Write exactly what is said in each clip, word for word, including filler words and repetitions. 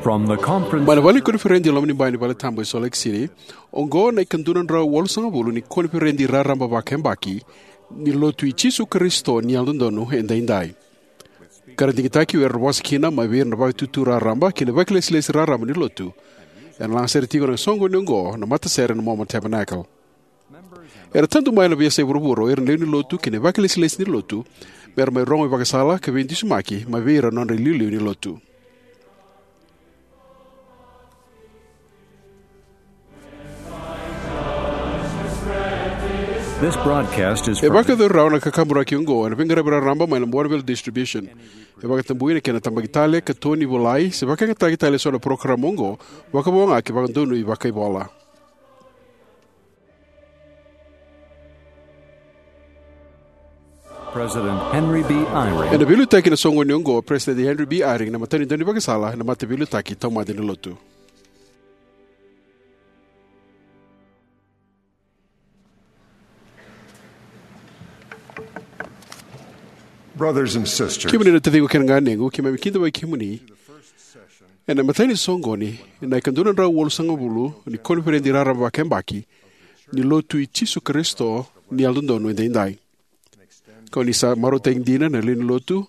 From the conference Mai na vale ni koniferedi e loma ni bai ni vale tabu e Salt Lake City, oqo na ikadua na drau walusagavulu ni koniferedi raraba vakayabaki ni Lotu i Jisu Karisito ni Yalododonu Edaidai, ka ra digitaki o ira era vosa kina mai vei ira na vakatutu raraba kei na vakailesilesi raraba ni Lotu. Ena lagasere tiko ena soqoni oqo na matasere na Mormon Tabernacle. Era tadu mai na veiyasai vuravura o ira na lewe ni Lotu kei na vakailesilesi ni Lotu me ra mai rogo ivakasala ka veidusimaki mai vei ira na nodra iliuliu ni Lotu. This broadcast is E vakayacori rawa na kakaburaki oqo ena veiqaravi raraba mai na Bonneville Distribution. E vakatabui na kena tabaki tale, katoni, volai se vakayagataki tale eso na parokaramu oqo, vakavo ga ke vakadonui vakaivola. President Henry B. Eyring. Ena veiliutaki ena soqoni oqo o President Henry B. Eyring, na matanitu ni vakasala ena Mataveiliutaki Taumada ni Lotu. Brothers and sisters, Kemuni na taciqu kei na ganequ, keimami kidavaki kemuni ena imatai ni soqoni ena ikadua na drau walusagavulu ni koniferedi raraba vakayabaki ni Lotu i Jisu Karisito ni Yalododonu Edaidai. Kau ni sa marautaki dina na lewe ni Lotu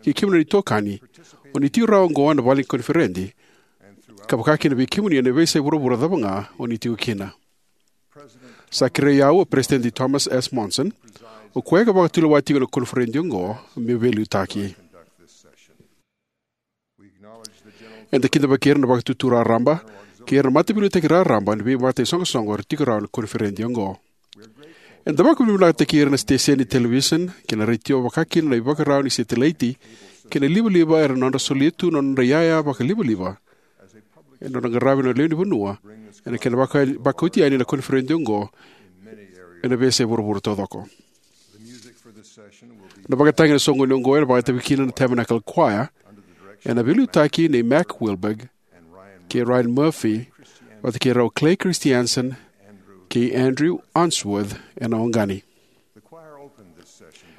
kei kemuni na itokani o ni tiko rawa oqo ena vale ni koniferedi, ka vaka kina vei kemuni ena veiyasai vuravura cava ga o ni tiko kina. Sa kerei au o Peresitedi Thomas S. Monson, o koya ka vakatulewa tiko na koniferedi oqo, meu veiliutaki. Eda kidavaki ira na vakatutu raraba kei ira na mataveiliutaki raraba ena veivakataisoqosoqo era tiko rawa ena koniferedi oqo. Eda vakavinavinakataki ira na siteseni ni televisoni kei na retio, vaka kina na ivakarau ni setelaiti kei na livaliva era na nodra solia tu na nodra iyaya vakalivaliva ena nodra qaravi na lewe ni vanua ena kena vaka, vakaoti yani na koniferedi oqo ena veiyasai vuravura taucoko. Na vakatagi ena soqoni oqo ena vakatavi kina na Tabernacle Choir ena veiliutaki nei Mac Wilberg kei Ryan Murphy, vata kei rau Clay Christiansen kei Andrew Unsworth ena oqani.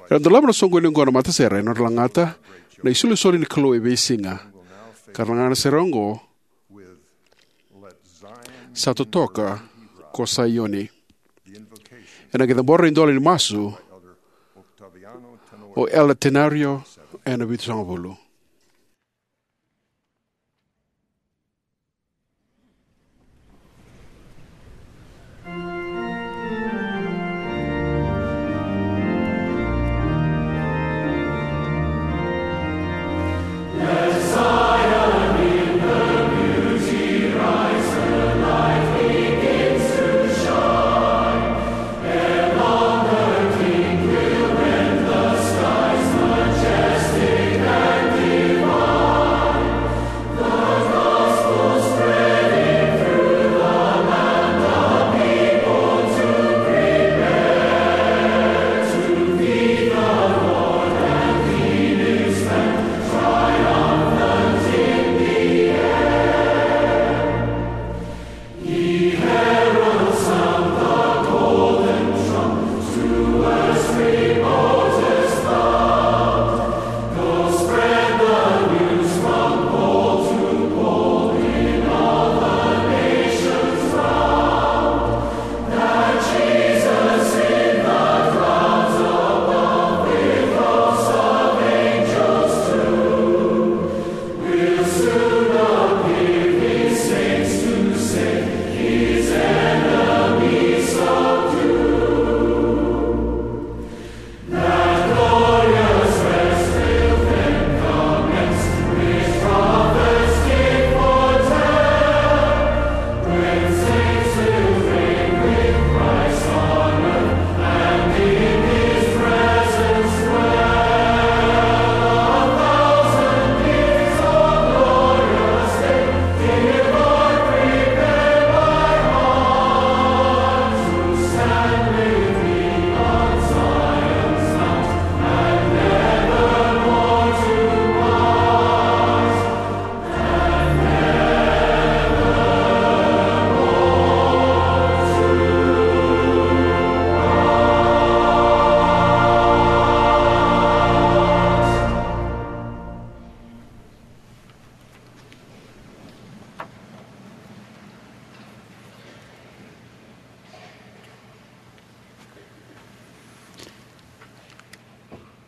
Era dolava na soqoni oqo na matasere ena nodra lagata Na iSolisoli ni Kalou e Veisiga, ka ra lagata na sere oqo, Sa Totoka ko Saioni. Ena qai cabora na idola ni masu o Elder Tenorio ena vitusagavulu.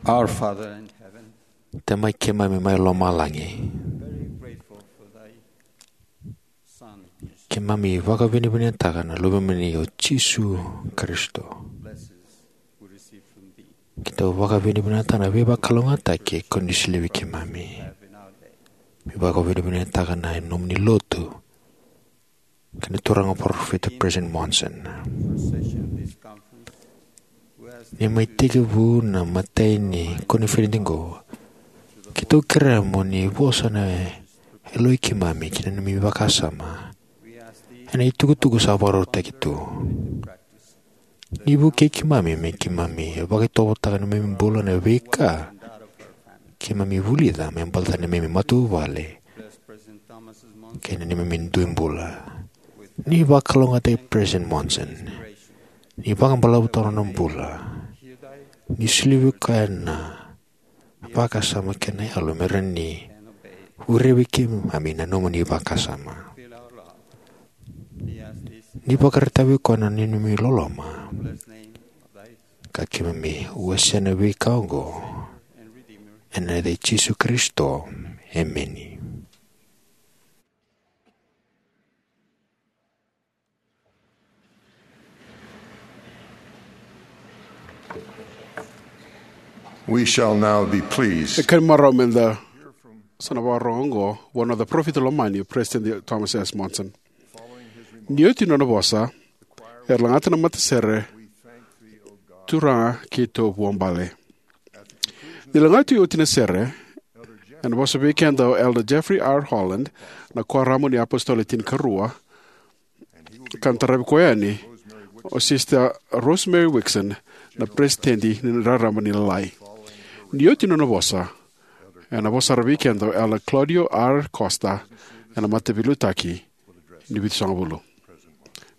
Our Father in heaven, Tamai keimami mai lomalagi, very grateful for thy Son. Keimami vakavinavinakataka na Luvemuni o Jisu Karisito. Blessings we receive from thee. Keitou vakavinavinakataka na veivakalougatataki ko ni solia vei keimami. Have in our day. Mi vakavinavinakataka na nomuni lotu kei na turaga parofita President Monson. Ni mai tekivu na imatai ni koniferedi oqo, keitou kerea mo ni vosa na yaloi keimami kei na neimami vakasama ena itukutuku sa vakarautaki tu. Ni vukei keimami me keimami vakaitovotaka na neimami bula, na veika keimami vulica me baleta na neimami matavuvale kei na neimami dui bula. Ni vakalougatataki President Monson. Ni vakabalavu tu na nona bula. Ni solia vei koya na vakasama kei na yalo me rawa ni vukei keimami na nomuni vakasama. Ni vakaraitaka vei koya na neimami loloma, ka keimami wasea na veika oqo ena yaca i Jisu Karisito. Emeni. We shall now be pleased. E kena marau meda sa na vakarorogo oqo vua na parofita lomani, o President Thomas S. Monson. Ni oti na nona vosa, era lagata na matasere, Turaga keitou vuabale. Ni lagati oti na sere, ena vosa vei keda o Elder Jeffrey R. Holland, na Kuoramu ni iApositolo Le Tinikarua, ka na taravi koya yani o Sister Rosemary Wixon, na Peresitedi ni Raraba ni Lalai. Ni oti na nona vosa, ena vosa sara vei keda o Elder Claudio R. Costa, ena Mataveiliutaki ni Vitusagavulu.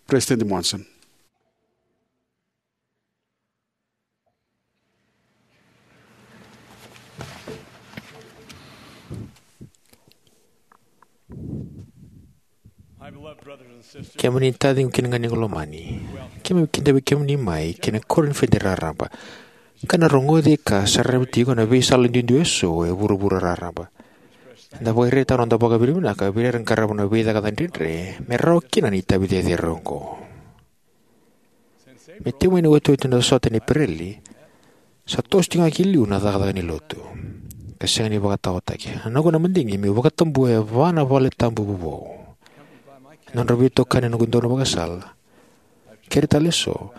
President Monson. My beloved brothers and sisters, kemuni taciqu kei na ganequ lomani, keimami kidavaki kemuni mai ki na koniferedi raraba, ka na rogoci ka saravi tiko na veisala duidui eso e vuravura raraba. Eda vakaraitaka na noda vakavinavinaka vei ira era qarava na veicakacaka dredre me rawa kina na itavi cecere oqo. Me tekivu mai na iotioti ni sota ni Epereli, sa toso tiko ga ki liu na cakacaka ni lotu ka sega ni vakataotaki. Na noqu na madigi meu vakatabuya e va na valetabu vovou. Na nodra veitokani na noqu dau na vakasala, keri tale eso,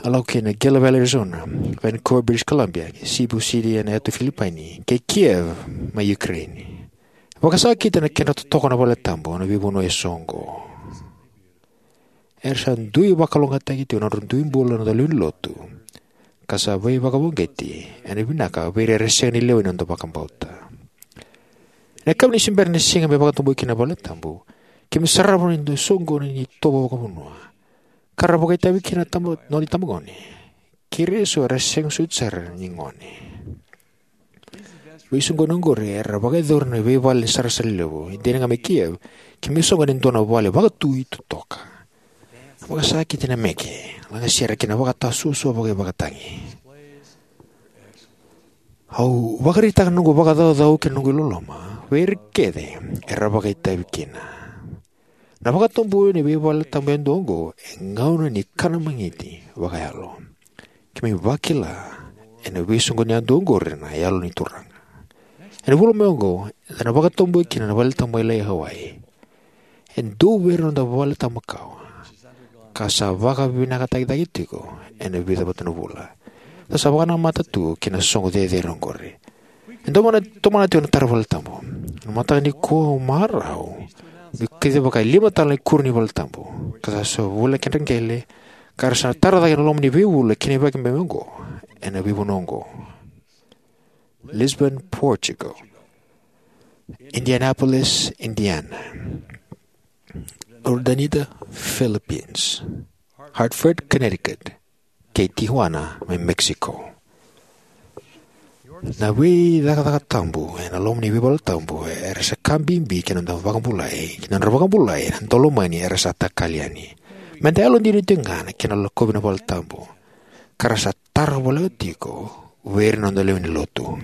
a lako ki na Gila Valley, Arizona, Vancouver, British Columbia, Cebu City ena yatu Filipaini, kei Kiev mai Ukraine. Vakasakita na kedra totoka na valetabu ena veivanua eso oqo. Era sa dui vakalougatataki tiko na nodra dui bula na noda lewe ni lotu, ka sa veivakavoqeti ena vinaka vei ira era sega ni lewe ni noda vakabauta. Ena yakavi ni se bera ni siga me vakatabui kina na valetabu, keimami sarava na dui soqoni ni itovo vakavanua ka ra vakaitavi kina na tama, nona itabagone kei ira eso era sega soti sara ni gone. Veisoqoni oqori era vakayacori ena veivale ni sarasara levu e dina ga mai Kiev, keimami soqoni e dua na vale vakatui totoka. Vakasakiti na meke, lagasere kei na vakatasuasua vakaivakatagi. Au vakaraitaka na noqu vakacaucau kei na noqu iloloma vei ira kece era vakaitavi kina. Na vakatabuya ni veivaletabu yadua oqo e gauna ni kana magiti vakayalo. Keimami vakila ena veisoqoni yadua oqori na Yalo ni Turaga. Ena vula mai oqo, eda na vakatabuya kina na Valetabu Lailai e Hawaii. E dua vei ira na noda valetabu makawa ka sa vakavinakataki cake tiko ena vica vata na vula. Eda sa vakanamata tu ki na soqo cecere oqori. E dau vaka na tomana tiko na tara valetabu. Na mataka nikua au marau meu kacivaka e lima tale na ikuri ni valetabu ka sa sega ni voleka na kedra qele, ka ra sa na tara cake ena loma ni veivula kei na veiyabaki oqo ena veivanua oqo: Lisbon, Portugal; Indianapolis, Indiana; Urdaneta, Philippines; Hartford, Connecticut; kei Tijuana mai Mexico. Na veicakacaka tabu ena loma ni veivaletabu era sa ka bibi ki na noda vakabulai, ki na nodra vakabulai na daulomani era sa takali yani. Meda yalodina tiko ga ena kena lakovi na valetabu, ka ra sa tara voleka tiko vei ira na noda lewe ni lotu.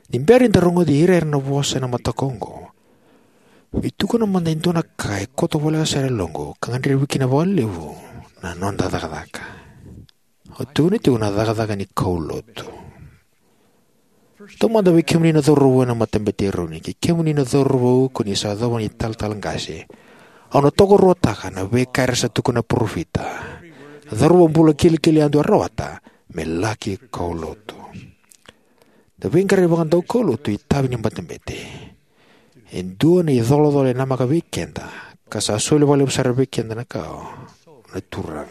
Ni bera ni da rogoci ira era na vosa ena mataka oqo, vei tukuna mada e dua na ka e koto voleka sara e loqu ka gadrevi kina vakalevu na noda cakacaka. O tukuna tiko na cakacaka ni kaulotu. Taumada vei kemuni na cauravou ena matabete e Eroni, kei kemuni na cauravou ko ni sa yacova na italatala qase, au na tokaruataka na veika era sa tukuna na parofita, na cauravou bula kilikili yadua e rawata me laki kaulotu. Na veiqaravi vakadaukaulotu itavi ni matabete e dua na icolacola e namaka vei keda ka sa soli vakalevu sara vei keda na ka o na Turaga.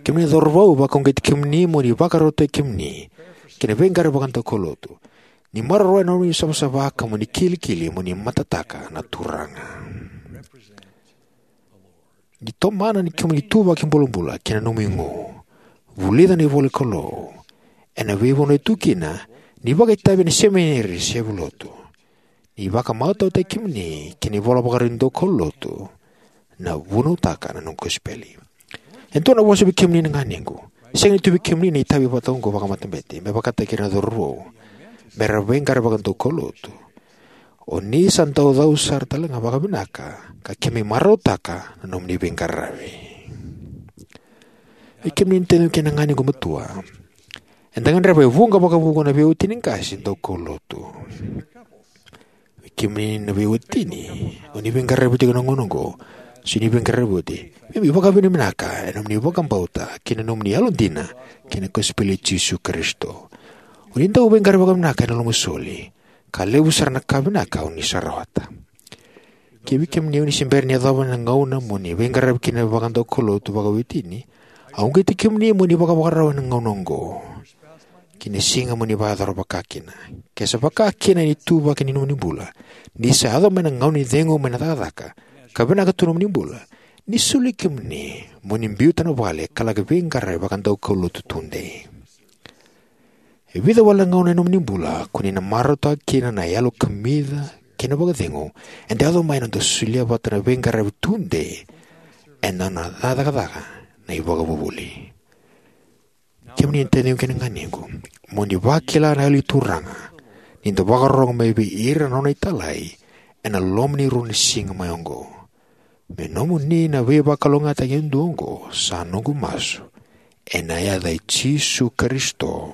Kemuni na cauravou, vakauqeti kemuni mo ni vakarautaki kemuni ki na veiqaravi vakadaukaulotu. Ni maroroya na nomuni savasava ka mo ni kilikili mo ni matataka na Turaga. Ni tomana ni kemuni ituvaki bulabula kei na nomu igu, vulica na ivola ni Kalou ena veivanua e tu kina, ni vakaitavi ena semineri se valenilotu. Ni vakamatautaki kemuni ki na ivola vakarau ni daukaulotu, na vunautaka na noqu kosipeli. E dua na vosa vei kemuni na ganequ. Sega ni tu vei kemuni na itavi vata oqo vakamatabete me vakataki ira na cauravou me ra veiqaravi vakadaukaulotu. O ni sa dau cau sara tale ga vakavinaka ka kemuni marautaka na nomuni veiqaravi. Vei kemuni na taciqu kei na ganequ matua, eda gadreva e vuqa vakavuqa na veiwatini qase daukaulotu. Vei kemuni na veiwatini o ni veiqaravi tiko ena gauna oqo, se o ni veiqaravi oti, keimami vakavinavinaka ena nomuni vakabauta kei na nomuni yalodina ki na kosipeli i Jisu Karisito. O ni dau veiqaravi vakavinaka ena lomasoli, ka levu sara na ka vinaka o ni sa rawata. Kivei kemuni o ni se bera ni yacova na gauna mo ni veiqaravi kina vakadaukaulotu vakawatini, au uqeti kemuni mo ni vakavakarau ena gauna oqo ki na siga mo ni vakayacora vaka kina. Ke sa vaka kina ni ituvaki ni nomuni bula, ni sa yaco mai na gauna ni cegu mai na cakacaka ka vinaka tu na nomuni bula, ni soli kemuni mo ni biuta na vale ka laki veiqaravi vakadaukaulotu tudei. E vica wale na gauna ena nomuni bula ko ni na marautaka kina na yalo kamica kei na vakacegu eda yaco mai ena noda solia vata na veiqaravi tudei ena nona cakacaka na iVakavuvuli. Kemuni na taciqu kei na ganequ, mo ni vakila na Yalo ni Turaga ni da vakarorogo mai vei ira na nona italai ena loma ni rua na siga mai oqo. Me nomuni na veivakalougatataki yadua oqo sa noqu masu, ena yaca i Jisu Karisito.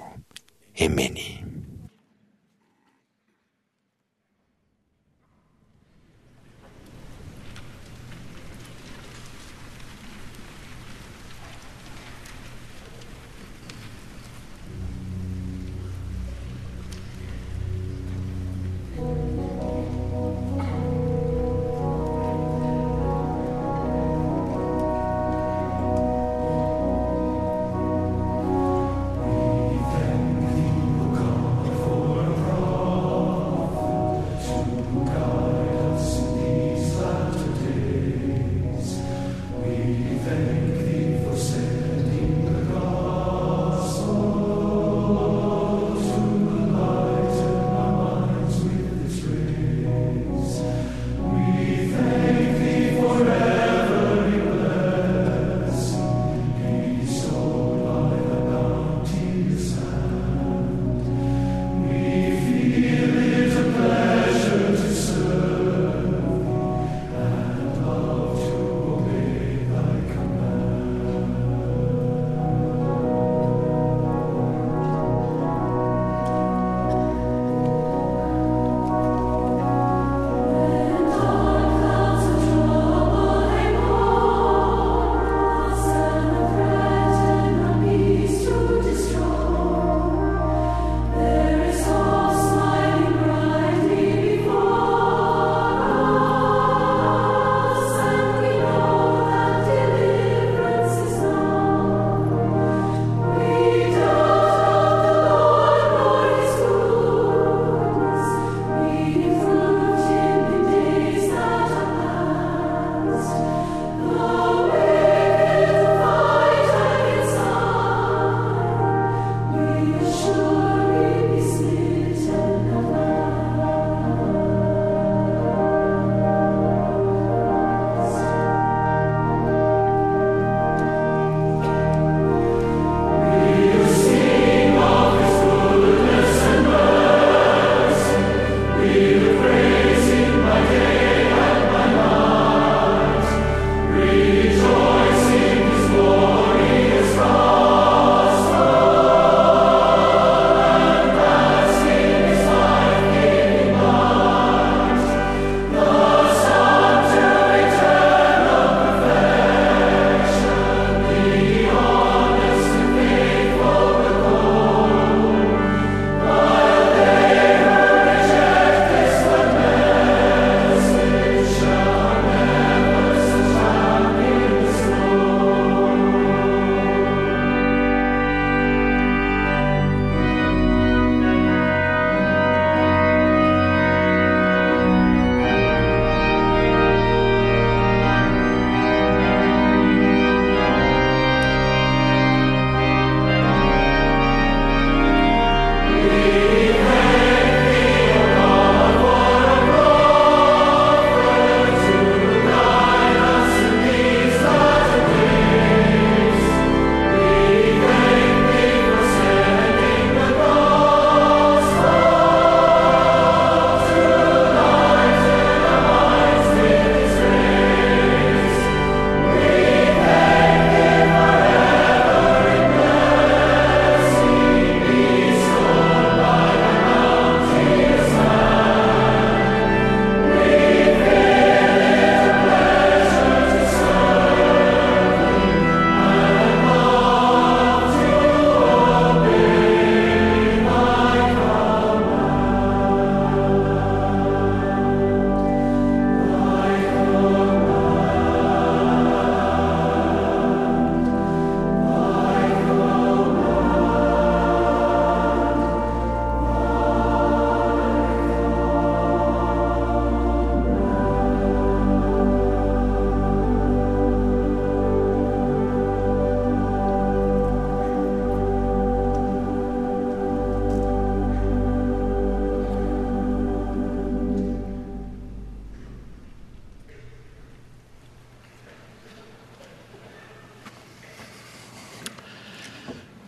Emeni.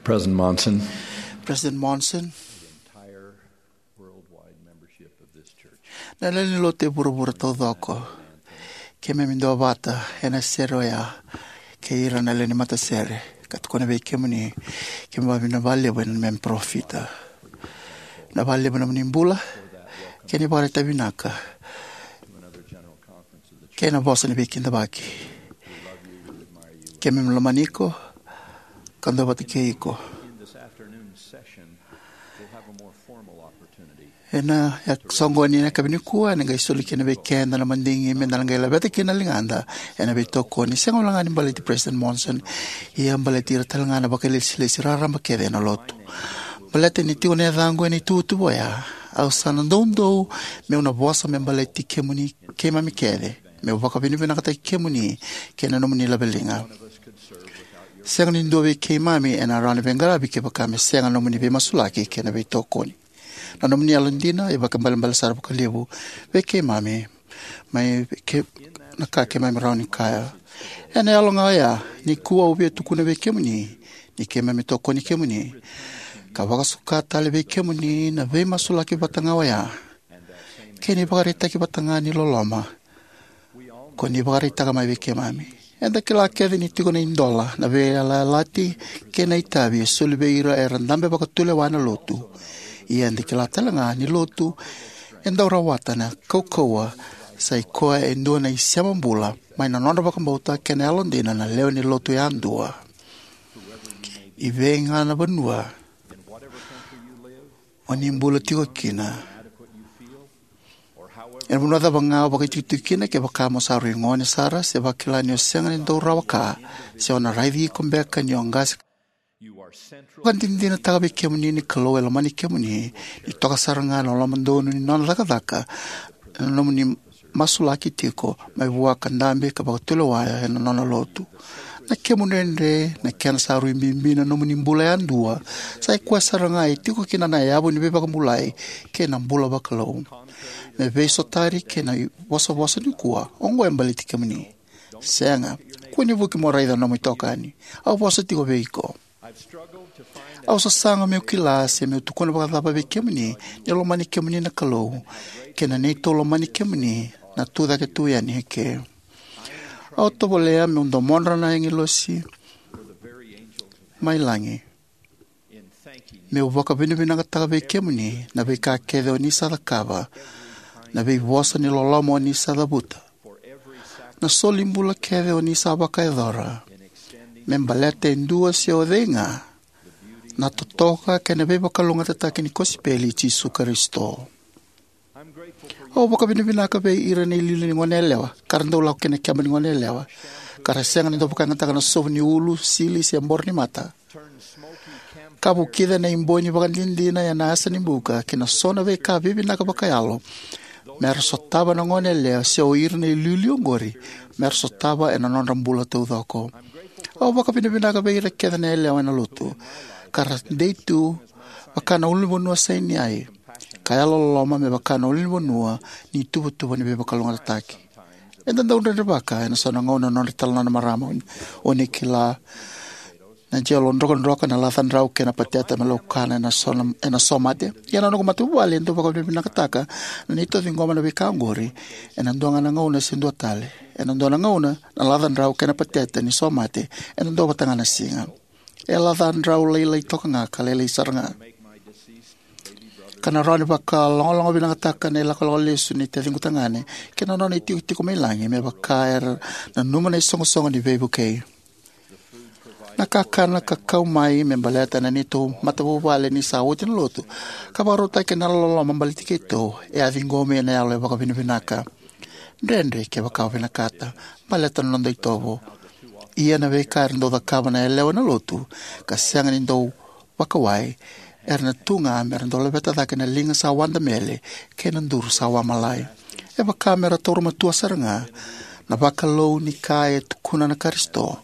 President Monson, President Monson, entire worldwide membership of this church, na lewe ni lotu e vuravura taucoko, keimami duavata ena sere oya kei ira na lewe ni matasere, ka tukuna vei kemuni, keimami vakavinavinaka vakalevu ena neimami parofita. Na vakalevu na nomuni bula, kei na ivakaraitaki vinaka, kei na vosa ni veikidavaki. Keimami lomani iko ka duavata kei iko. Ena soqoni ena yakavi nikua, ena qai soli kina vei keda na madigi meda na qai laveta kina na ligada ena veitokoni, sega walega ni baleti President Monson, ia baleti ira talega na vakailesilesi raraba kece ena lotu. Baleta ni tiko na yacaqu ena ituvatuva oya, au sa na doudou meu na vosa me baleti kemuni, keimami kece, meu vakavinavinakataki kemuni kei na nomuni laveliga. Sega ni dua vei keimami ena rawa ni veiqaravi kevaka me sega na nomuni veimasulaki kei na veitokoni. Na nomuni yalodina e vakaibalebale sara vakalevu vei keimami mai ke, na ka keimami rawa ni kaya. Ena yalo ga oya, nikua au via tukuna vei kemuni ni keimami tokoni kemuni ka vakasuka tale vei kemuni na veimasulaki vata ga oya kei na ivakaraitaki vata ga ni loloma ko ni vakaraitaka mai vei keimami. Eda kila kece ni tiko na idola, na veiyalayalati kei na itavi e soli vei ira era dabe vakatulewa ena lotu. Ia eda kila talega ni lotu e dau rawata na kaukauwa, sa i koya e dua na isema bula mai na nodra vakabauta kei na yalodina na lewe ni lotu yadua. I vei ga na vanua o ni bula tiko kina, ena vanua cava ga o vakaitikotiko kina, kevaka mo sa rui gone sara se vakila ni o sega ni dau rawa ka, se o na raici iko beka ni o qase, vakadinadinataka vei kemuni ni Kalou e lomani kemuni, ni toka sara ga na lomadonu ni nona cakacaka na nomuni masulaki tiko mai vua ka dabe ka vakatulewa ena nona lotu. Na kemu dredre, na kena sa rui bibi na nomuni bula yadua, sa i koya sara ga e tiko kina na yavu ni veivakabulai kei na bula vakalou. Me veisotari kei na ivosavosa nikua, oqo e baleti kemuni. Sega, kua ni vuki mo raica na nomu itokani. Au vosa tiko vei iko. Au sasaga meu kila se meu tukuna vakacava vei kemuni ni lomani kemuni na Kalou kei na neitou lomani kemuni na tucake tu yani eke. Au tovolea meu domodra na agilosi mai lagi meu vakavinavinakataka vei kemuni na veika kece o ni sa cakava, na veivosa ni loloma o ni sa cavuta, na soli bula kece o ni sa vakayacora me baleta e dua se o cei ga na totoka kei na veivakalougatataki ni kosipeli i Jisu Karisito. Au vakavinavinaka vei ira na iliuliu ni goneyalewa ka ra dau lako ki na keba ni goneyalewa, ka ra sega ni dau vakayagataka na sovu ni ulu, sili, se boro ni mata, ka vukica na iboi ni vakadinadina ena yasa ni buka kei na so na veika vivinaka vakayalo me ra sotava na goneyalewa, se o ira na iliuliu oqori me ra sotava ena nodra bula taucoko. Au vakavinavinaka vei ira kece na yalewa ena lotu ka ra dei tu vaka na ulunivanua Saineai, ka yalololoma me vaka na ulunivanua ni ituvatuva ni veivakalougatataki. Eda dau dredrevaka ena so na gauna na nodra italanoa na marama, o ni kila, na jelo drokadroka, na laca drau kei na pateta me laukana ena so na, ena so mate. Ia na noqu matavuvale e dau vakavinavinakataka na neitou ciqoma na veika oqori ena dua ga na gauna se dua tale. Ena dua na gauna na laca drau kei na pateta ni so mate ena dua vata ga na siga. E laca drau lailai toka ga ka lailai sara ga. Ka na rawa ni vakalogaloga vinakataka na ilakolako lesu ni taciqu tagane kei na nona itikotiko mai lagi me vaka era nanuma na isoqosoqo ni veivukei. Na kakana ka kau mai me baleta na neitou matavuvale ni sa oti na lotu ka vakarautaki ena loloma baleti keitou e a ciqomi ena yalo e vakavinavinaka. Dredre kevaka o vinakata baleta na noda itovo. Ia na veika era dau cakava na yalewa ena lotu ka sega ni dau vakawai, era na tu ga me ra dau laveta cake na liga sa wadamele kei na duru sa wamalai. E vaka me ra taura matua sara ga na vakalou ni ka e tukuna na Karisito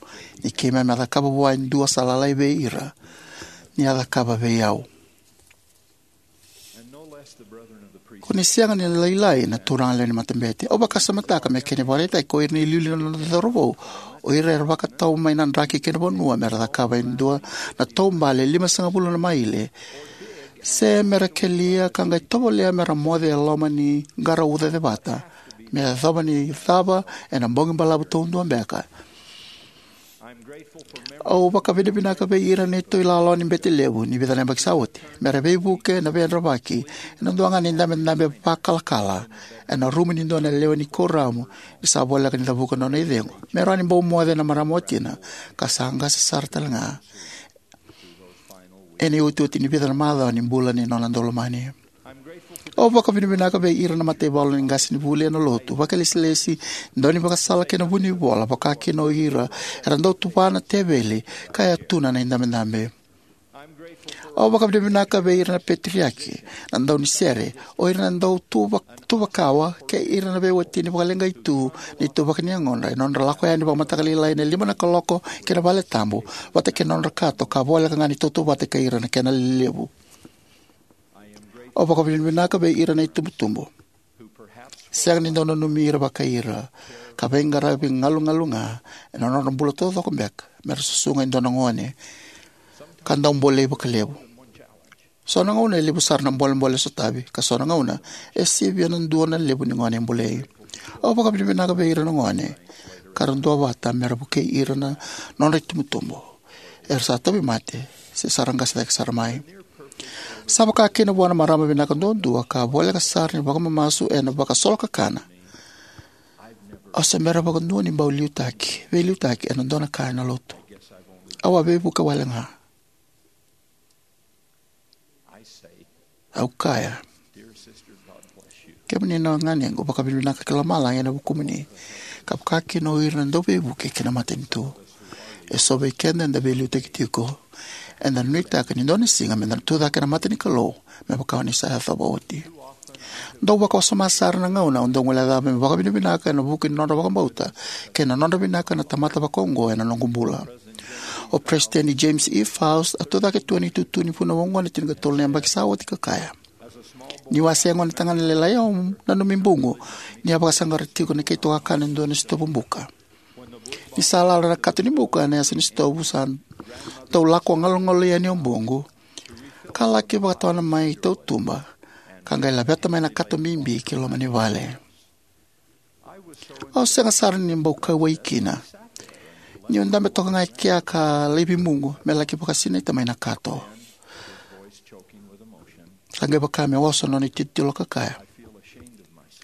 ni keimami a cakava vua e dua sa lalai vei ira, ni a cakava vei au. Ko ni sega ni lailai na turaga lewe ni matabete. Au vakasamataka me kena ivakaraitaki ko ira na iliuliu na noda cauravou, o ira era vakatau mai na draki kei na vanua me ra cakava e dua na taubale limasagavulu na maile, se me ra kelia ka qai tovolea me ra moce e loma ni qara uca cevata, me yacova ni cava ena bogi balavu taudua beka. Au vakavinavinaka vei ira na neitou ilawalawa ni bete levu ni vica na yabaki sa oti, me ra veivuke ena veiyadravaki ena dua ga na idabedabe vakalakala ena rumu ni dua na lewe ni kuoramu ni sa voleka ni cavuka na nona icegu, me rawa ni bau moce na marama watina ka sa qase sara tale ga ena iotioti ni vica na macawa ni bula ni nona daulomani. Au vakavinavinaka vei ira na mataivalu ni qasenivuli ena lotu, vakailesilesi, daunivakasala kei na vunivola, vaka kina o ira era dau tuva na teveli ka yatuna na idabedabe. Au vakavinavinaka vei ira na peteriaki, na daunisere, o ira na dau tuva, tuvakawa, kei ira na veiwatini vakaleqai tu ni ituvaki ni yagodra ena nodra lako yani vakamataka lailai ena lima na kaloko ki na vale tabu, vata kei na nodra kato ka voleka ga ni tautauvata kei ira na kena lelevu. Au vakavinavinaka vei ira na itubutubu, sega ni dau nanumi ira vakai ira, ka veiqaravi galugalu ga ena nodra bula taucoko beka me ra susuga e dua na gone ka dau bolei vakalevu. So na gauna e levu sara na bolebole e sotavi, ka so na gauna e sivia na dua na levu ni gone e bolei. Au vakavinavinaka vei ira na gone ka ra duavata me ra vukei ira na nodra itubutubu, era sa tauvimate se sa ra qase cake sara mai. Sa vaka kina vua na marama vinaka duadua ka voleka sara ni vakamamasu ena vakasolokakana, au se bera vakadua ni bau liutaki, veiliutaki ena dua na ka ena lotu. Au a veivuke wale ga. Au kaya, kemuni na ganequ, vakavinavinaka ki lomalagi ena vukumuni, ka vaka kina o ira na dauveivuke ki na matanitu. E so vei keda eda veiliutaki tiko, eda nuitaka ni dua na siga meda na tucake ena mata ni Kalou, me vaka o ni sa yacova oti. Dau vakawasoma sara na gauna au dau guilecava me vakavinavinaka ena vuku ni nodra vakabauta kei na nodra vinaka na tamata vakaoqo ena noqu bula. O Peresitedi James E. Faust a tucake tu ena itutu ni vunau oqo ena tinikatolu na yabaki sa oti ka kaya, niu a se gone tagane lailai, au nanumi buqu ni a vakasaqara tiko na keitou kakana e dua na sitovu buka. Ni sa lala na kato ni buka ena yasa ni sitovu, sa dau lako galugalu yani o buqu, ka laki vakatawana mai tautuba, ka qai laveta mai na kato bibi ki loma ni vale. Au sega sara ni bau kauwai kina, niu dabe toka ga e kea ka laivi buqu me laki vakasinaita mai na kato. Sa qai vaka me oso na nona itilotilo ka kaya,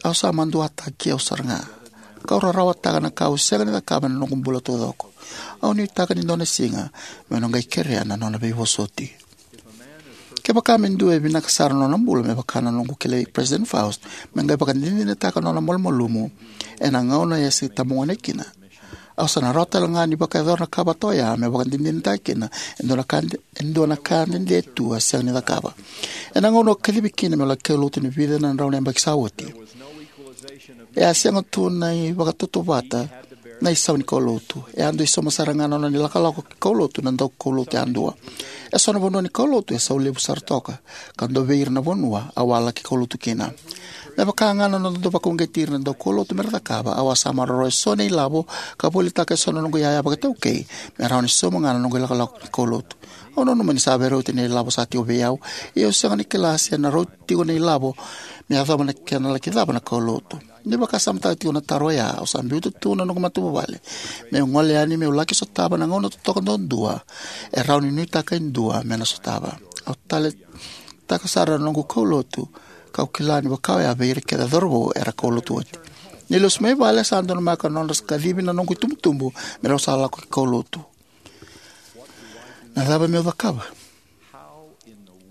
au sa maduataki au sara ga, kau rarawataka na ka au sega ni cakava ena noqu bula taucoko. Au nuitaka ni dua na siga meu na qai kerea na nona veivosoti. Kevaka me dua e vinaka sara na nona bula, me vaka na noqu kilai Peresitedi Faust, me qai vakadinadinataka na nona malumalumu ena gauna e se tabagone kina, au sa na rawa tale ga ni vakayacora na ka vata oya me vakadinadinataka kina e dua na ka, e dua na ka dede tu a sega ni cakava. Ena gauna au kacivi kina meu laki kaulotu ena vica na drau na yabaki sa oti, e a sega tu na ivakatautauvata na isau ni kaulotu. E a dui sauma sara ga na nona ilakolako ki kaulotu na daukaulotu yadua. E so na vanua ni kaulotu e sau levu sara toka, ka dua vei ira na vanua au a laki kaulotu kina. Me vaka ga na noda dau vakauqeti ira na daukaulotu me ra cakava, au a sa maroroya e so na ilavo ka volitaka e so na noqu iyaya vakaitaukei me rawa ni sauma ga na noqu ilakolako ki kaulotu. Au nanuma ni sa veirauti na ilavo sa tiko vei au, ia au sega ni kila se na rauti tiko na ilavo me yacova na kena laki cava na kaulotu. Ni vakasamataka tiko na taro oya, au sa biuta tu na noqu matavuvale meu gole yani meu laki sotava na gauna totoka duadua e rawa ni nuitaka e dua me na sotava. Au taleitaka sara na noqu kaulotu, kau kila ni vaka oya vei ira kece na cauravou era kaulotu oti. Ni lesu mai vale, sa donumaka na nodra kacivi na noqu itubutubu me rau sa lako ki kaulotu. Na cava meu cakava?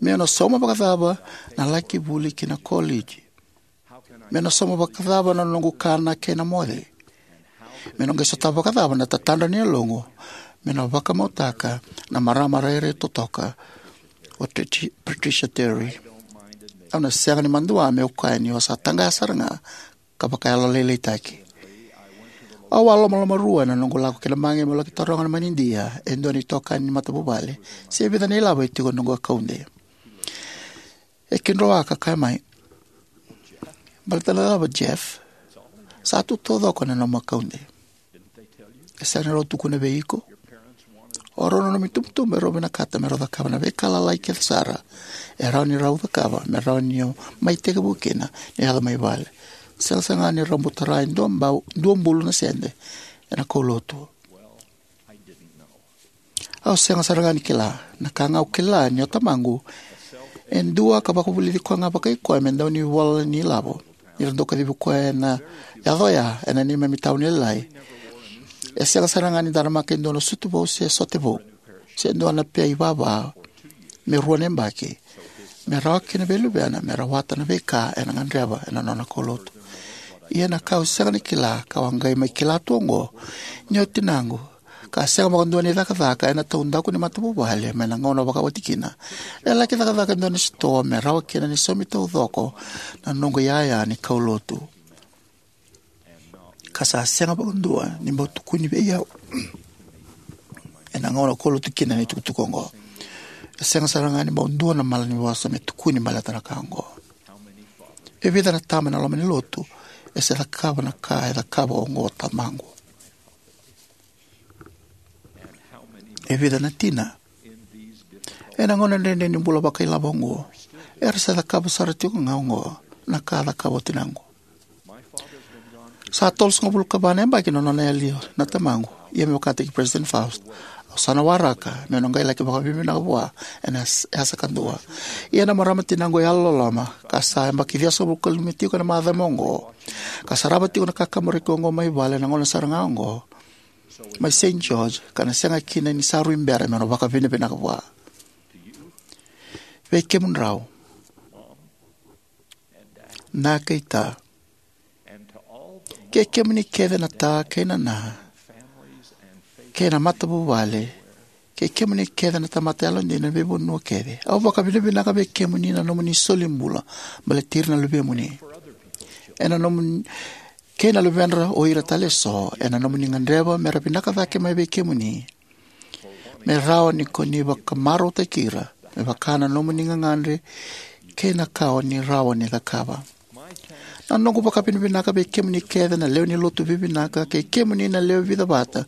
Meu na sauma vakacava na laki vuli ki na koleji? Meu na sauma vakacava na noqu kana kei na moce? Meu na qai sotava vakacava na tatadra ni yaloqu meu na vakamautaka na marama rairai totoka o Patricia Terry? Au na sega ni madua meu kaya niu sa taqaya sara ga ka vakayalolailaitaki. Au a lomalomarua ena noqu lako ki na baqe meu laki taroga na manidia e dua na itokani ni matavuvale se vica na ilavo e tiko ena noqu akaude. E kidroa ka kaya mai, Baleta na cava, Jeff? Sa tu taucoko na nomu akaude. E sega ni rau tukuna vei iko? O rau na nomu itubutubu e rau vinakata me rau cakava na veika lalai kece sara e rawa ni rau cakava me rawa ni o mai tekivu kina ni yaco mai vale. Sega sara ga ni rau bau tara e dua bau, dua bulu na sede ena kaulotu. Au sega sara ga ni kila. Na ka ga au kila ni o tamaqu e dua ka vakavulici koya ga vakai koya me dau ni vola ni lavo. Ni ra dau kacivi koya ena yaco oya ena neimami tauni lailai. E sega sara ga ni daramaka e dua na sutu vou se sote vou se dua na pea ivava me rua na yabaki, me rawa kina vei luvena me rawata na veika ena gadreva ena nona kaulotu. Ia na ka au sega ni kila, ka au a qai mai kila tu oqo, ni o tinaqu, ka sega vakadua ni cakacaka ena taudaku ni matavuvale mai na gauna vakawati kina, e laki cakacaka e dua na sitoa me rawa kina ni saumi taucoko na noqu iyaya ni kaulotu. Ka sa sega vakadua ni bau tukuni vei au ena gauna au kaulotu kina na itukutuku oqo. E sega sara ga ni bau dua na malanivosa me tukuni baleta na ka oqo. E vica na tama ena loma ni lotu e se cakava na ka e cakava oqo o tamaqu? E vica na tina ena gauna dredre ni bula vakailavo oqo era se cakava sara tiko ga oqo na ka a cakava o tinaqu? Sa tolusagavulu ka va na yabaki na nona yali na tamaqu. Ia me vakataki President Faust, au sa na waraka meu na qai laki vakavinavinaka vua ena yas-, yasa kadua. Ia na marama tinaqu e yalololoma, ka sa yabaki ciwasagavulu ka lima tiko ena macawa oqo, ka sarava tiko na kakaburaki oqo mai vale na gauna sara ga oqo, mai Saint George, ka na sega kina ni sa rui bera meu na vakavinavinaka vua. Vei kemudrau, na kei ta, kei kemuni kece na ta kei na na, kei na matavuvale, kei kemuni kece na tamata yalodina, veivanua kece. Au vakavinavinaka vei kemuni na nomuni soli bula baleti ira na luvemuni. Ena nomuni, kei na luvedra o ira tale eso, ena nomuni gadreva me ra vinaka cake mai vei kemuni. Me rawa ni ko ni vakamarautaki ira, me vaka na nomuni gagadre, kei na ka o ni rawa ni cakava. Na noqu vakavinavinaka vei kemuni kece na lewe ni lotu vivinaka, kei kemuni na lewe vica vata,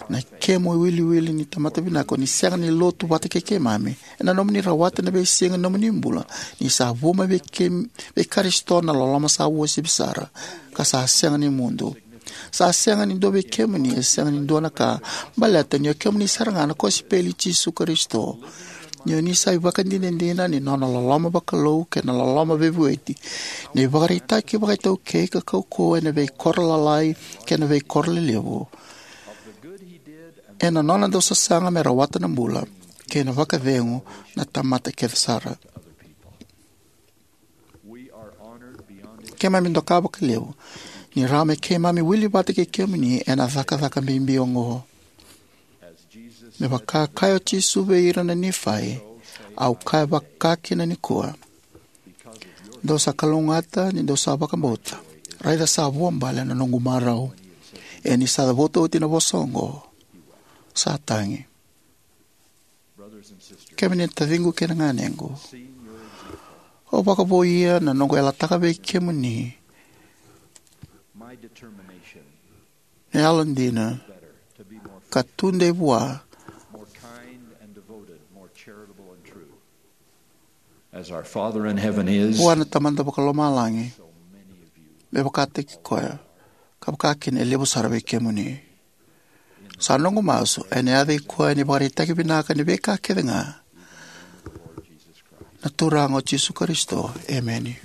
na kemu iwiliwili ni tamata vinaka, o ni sega ni lotu vata kei keimami. Ena nomuni rawata na veisiga ni nomuni bula, ni sa vu mai vei kem-, vei Karisito na loloma sa uasivi sara, ka sa sega ni mudu. Sa sega ni dua vei kemuni e sega ni dua na ka, baleta ni o kemuni sara ga na kosipeli i Jisu Karisito. Ni o ni sa ivakadinadina ni nona loloma vakalou kei na loloma veivueti, na ivakaraitaki vakaitaukei ka kaukauwa ena veikoro lalai kei na veikoro lelevu, ena nona dau sasaga me rawata na bula kei na vakacegu na tamata kece sara. Keimami doka vakalevu ni rawa me keimami wili vata kei kemuni ena cakacaka bibi oqo. Me vaka kaya o Jisu vei ira na Nifai, au kaya vakakina nikua: Dou sa kalougata ni dou sa vakabauta. Raica sa vuabale na noqu marau. Ia ni sa cavuta oti na vosa oqo, sa tagi. Kemuni na taciqu kei na ganequ, au vakavouia na noqu yalataka vei kemuni na yalodina ka tudei vua, As our Father in heaven is, vua na Tamada Vakalomalagi, me vakataki koya, ka vakakina e levu sara vei kemuni. Sa noqu masu ena yaca i koya ni vakaraitaki vinaka ni veika kece ga, na Turaga o Jisu Karisito. Emeni.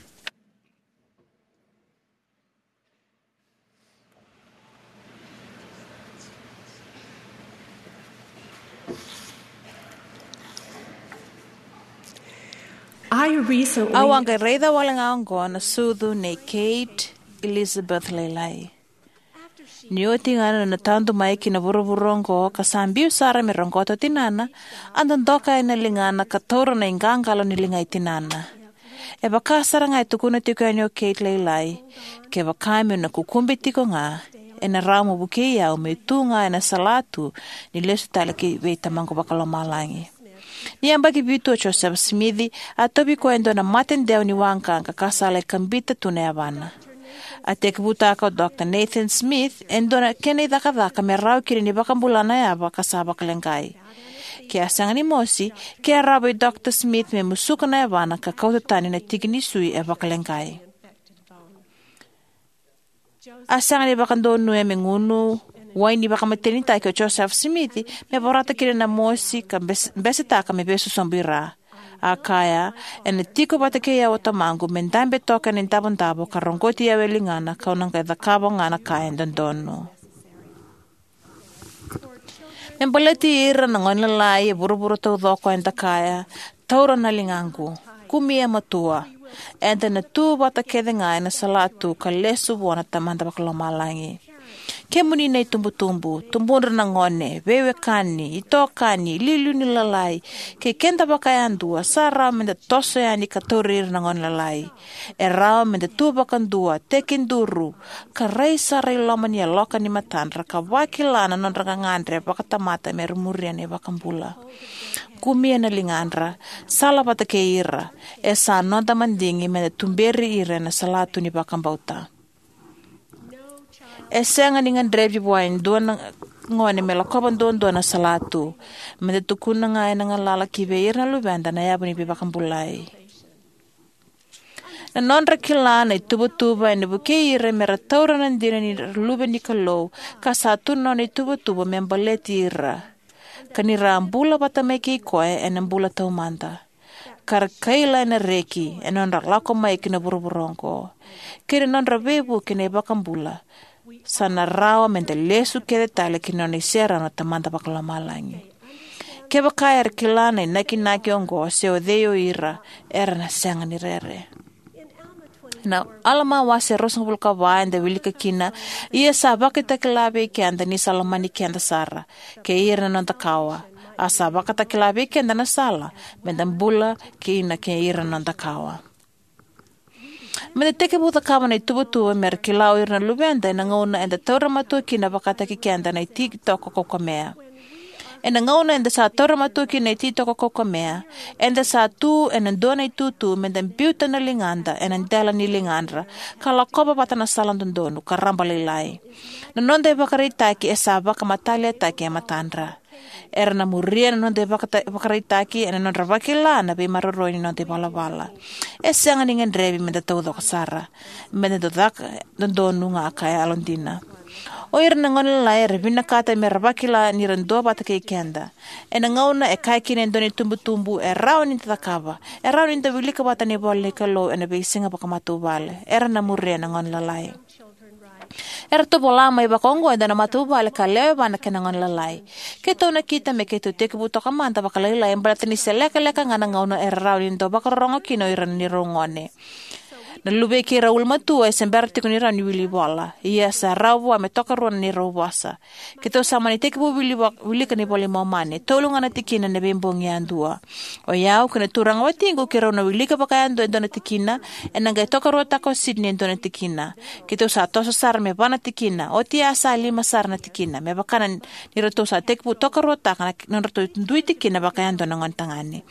I recently Au a qai raica wale ga oqo na sucu nei Kate Elizabeth Lailai. Ni oti ga na nona tadu mai ki na vuravura oqo ka sa biu sara me roqota o tinana, a dodoka yani na ligana ka taura na iqaqalo ni liga i tinana. E vaka sara ga e tukuna tiko yani o Kate Lailai, kevaka meu na kukube tiko ga, ena rawa mo vukei au meu tu ga ena salatu ni lesu tale ki vei Tamaqu Vakalomalagi. Ni yabaki vitu o Josefa Simici, a tauvi koya e dua na mate dewa ni waqaqa ka sa lai kabita tu na yavana. A tekivutaka o Dr Nathan Smith e dua na kena icakacaka me rawa kina ni vakabula na yava ka sa vakaleqai. Ke a sega ni mosi, ke a rawa vei Dr Smith me musuka na yavana ka kauta tani na tiki ni sui e vakaleqai. A sega ni vakadonuya me gunu wai ni vakamatenitaki o Josefa Simici me vorata kina na mosi ka bes- besetaka me veisosobu i ra. A kaya, "Ena tiko vata kei au o tamaqu me dabe toka ena idavodavo ka roqoti au e ligana, kau na qai cakava ga na ka e dodonu." Me baleti ira na gone lalai e vuravura taucoko, eda kaya, "Taura na ligaqu, kumi e matua. Eda na tu vata kece ga ena salatu ka lesu vua na Tamada Vakalomalagi." Kemuni na itubutubu, tubudra na gone, veiwekani, itokani, iliuliu ni lalai, kei keda vakayadua, sa rawa meda toso yani ka tauri ira na gone lalai. E rawa meda tu vakadua, tekiduru, ka rai sara i loma ni yaloka ni matadra ka vakila na nodra gagadre vakatamata me ra muria na iVakabula. Kumia na ligadra, sala vata kei ira. E sa noda madigi meda tuberi ira ena salatu ni vakabauta. E sega ni gadrevi vua e dua na gone me lakova duadua na salatu. Meda tukuna ga ena galala ki vei ira na luveda na yavu ni veivakabulai. Na nodra kila na ituvatuva ena vukei ira me ra taura na dina ni ra luve ni Kalou, ka sa tu na nona ituvatuva me baleti ira, ka ni ra bula vata mai kei koya ena bula taumada, ka ra kaila ena reki ena nodra lako mai ki na vuravura oqo, kei na nodra veivuke na iVakabula. Sa na rawa meda lesu kece tale ki na nona iserau na Tamada Vakalomalagi. Kevaka era kila na inakinaki oqo se o cei o ira, era na sega ni rere. Na Alama wase ruasagavulu ka va eda wilika kina, "Ia sa vakatakila vei keda ni sa lomani keda sara, kei ira na noda kawa. A sa vakatakila vei keda na sala meda bula kina kei ira na noda kawa." Meda tekivu cakava na ituvatuva me ra kila o ira na luveda ena gauna eda taura matua kina vakataki keda na ititoko kaukamea. Ena gauna eda sa taura matua kina na ititoko kaukamea, eda sa tu ena dua na itutu meda biuta na ligada ena dela ni ligadra, ka lakova vata na sala dodonu ka raba lailai. Na noda ivakaraitaki e sa vakamataliataki e matadra. Era na muria na noda ivakata- ivakaraitaki ena nodra vakila na veimaroroi ni noda ivalavala. E sega ni gadrevi meda taucoko sara, meda dau caka dodonu ga ka yalodina. O ira na gone lalai era vinakata me ra vakila ni ra duavata kei keda. Ena gauna e kaya kina e dua na itubutubu, e rawa ni da cakava, e rawa ni da wilika vata na ivola ni Kalou ena veisiga vakamatavuvale, era na muria na gone lalai. Eratou vola mai vakaoqo e dua na matavuvale ka lewe va na kena gone lalai. Keitou nakita me keitou tekivu toka mada vakalailai baleta ni se lekaleka ga na gauna era rawa ni dau vakarorogo kina o ira na neirau gone. Na luvei keirau ulumatua e se bera tiko ni rawa ni wili ivola, ia sa rawa vua me tokarua na neirau vosa. Keitou sa mani tekivu wili vo- wilika na iVola i Momani, tolu ga na tikina ena veibogi yadua. O yau kei na turaga watiqu keirau na wilika vakayadua e dua na tikina, ena qai tokaruataka o Sydney e dua na tikina. Keitou sa toso sara me va na tikina, oti a sa lima sara na tikina, me vaka na ni ratou sa tekivu tokaruataka na nodratou dui tikina vakayadua na gone tagane.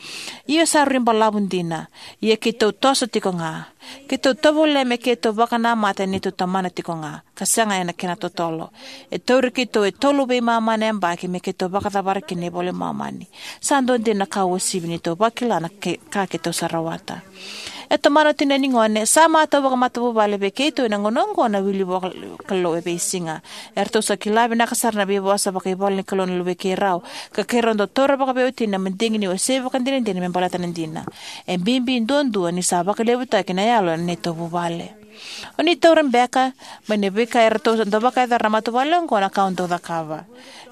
Io, sa rui balavu dina, ia keitou toso tiko ga. Keitou tovolea me keitou vakanamata ena neitou tomana tiko ga, ka sega ena kena totolo. E tauri keitou e tolu veimama na yabaki me keitou vakacavara kina na iVola i Momani. Sa dua dina na ka uasivi ni tou vakila na ke- ka keitou sa rawata. E tomana o tinani gone, sa matau vakamatavuvale vei keitou ena gauna oqo na wili vua Kalou e veisiga. Eratou sa kila vinaka sara na veivosa vakaivola ni Kalou na luvei keirau, ka keirau dau taura vakaveiwatini na madigi ni wasei vakadinadina me baleta na dina. E bibi duadua ni sa vakalevutaki na yalo ena neitou vuvale. O ni taura beka mai na veika eratou sa dau vakayacora na matavuvale oqo na ka au dau cakava.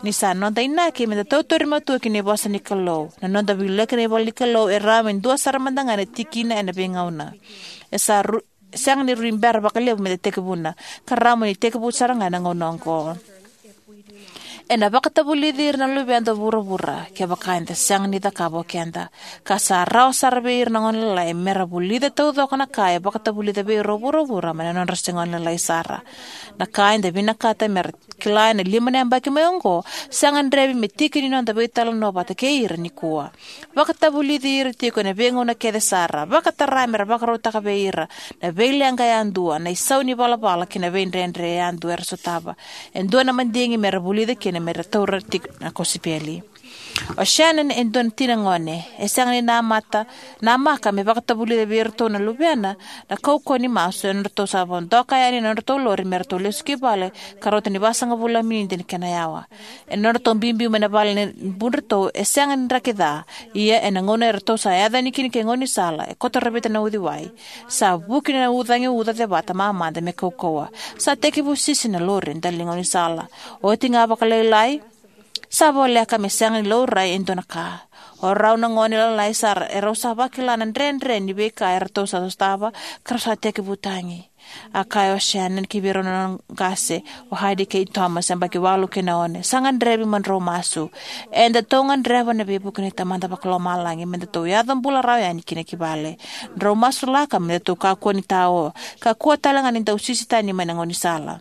Ni sa noda inaki meda tautauri matua ki na vosa ni Kalou, na noda wilika na ivola ni Kalou e rawa me dua sara mada ga na tikina ena veigauna. E sa ru- sega ni rui bera vakalevu meda tekivuna, ka rawa mo ni tekivu sara ga ena gauna oqo. Ena vakatavulici ira na luveda o vuravura kevaka eda sega ni cakava o keda. Ka sa rawa sara vei ira na gone lalai mera vulica taucoko na ka e vakatavulica vei ira o vuravura mai na nodra se gone lalai sara. Na ka eda vinakata mera kila ena lima na yabaki mai oqo sa gadrevi me tiki ni noda veitalanoa vata kei ira nikua. Vakatavulici ira tiko ena veigauna kece sara. Vakatara mera vakarautaka vei ira na veileqa yadua, na isau ni valavala kei na veidredre yadua era sotava. E dua na madigi mera vulica kina mera taura tiko na kosipeli. O Shannon e dua na tina gone e sega ni namata, namaka me vakatavulica vei iratou na luvena na kaukauwa ni masu e nodratou sa vodoka yani na nodratou lori me ratou lesu ki vale ka rauta ni vasagavulu na miniti na kena yawa. E nodratou biubiu mai na vale ni budratou e sega ni draki ca. Ia ena gauna eratou sa yaco yani kina ki gaunisala e koto ravita na uciwai, sa vuki na ucagi uca cevata mamada me kaukauwa. Sa tekivu sisi na lori e dela ni gaunisala. Oti ga vakalailai, sa voleka me sega ni laurai e dua na ka. O rau na gone lalai sara e rau sa vakila na dredre ni veika eratou sa sotava ka rau sa tekivu tagi. A kaya o Shannon ki vei rau na nona qase, o Heidi kei Thomas, yabaki walu kei na ono, sa gadrevi mo drau masu. Edatou gadreva na veivuke ni Tamada Vakalomalagi me datou yaco bula rawa yani kina ki vale. Drau masulaka me datou kakua ni tao, kakua tale ga ni dau sisi tani mai na gaunisala.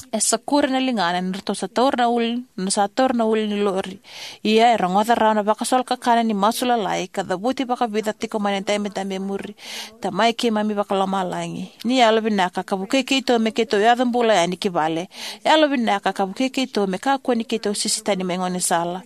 E sakuri na ligana ni ratou sa taura na ulu, na sa taura na ulu ni lori. Ia e rogoca rawa na vakasolo kakana ni masu lalai ka cavuti vakavica tiko mai na dabedabe e muri. Tamai keimami Vakalomalagi, ni yalovinaka ka vukei keitou me keitou yaco bula yani ki vale. Yalovinaka ka vukei keitou me kakua ni keitou sisi tani mai gaunisala.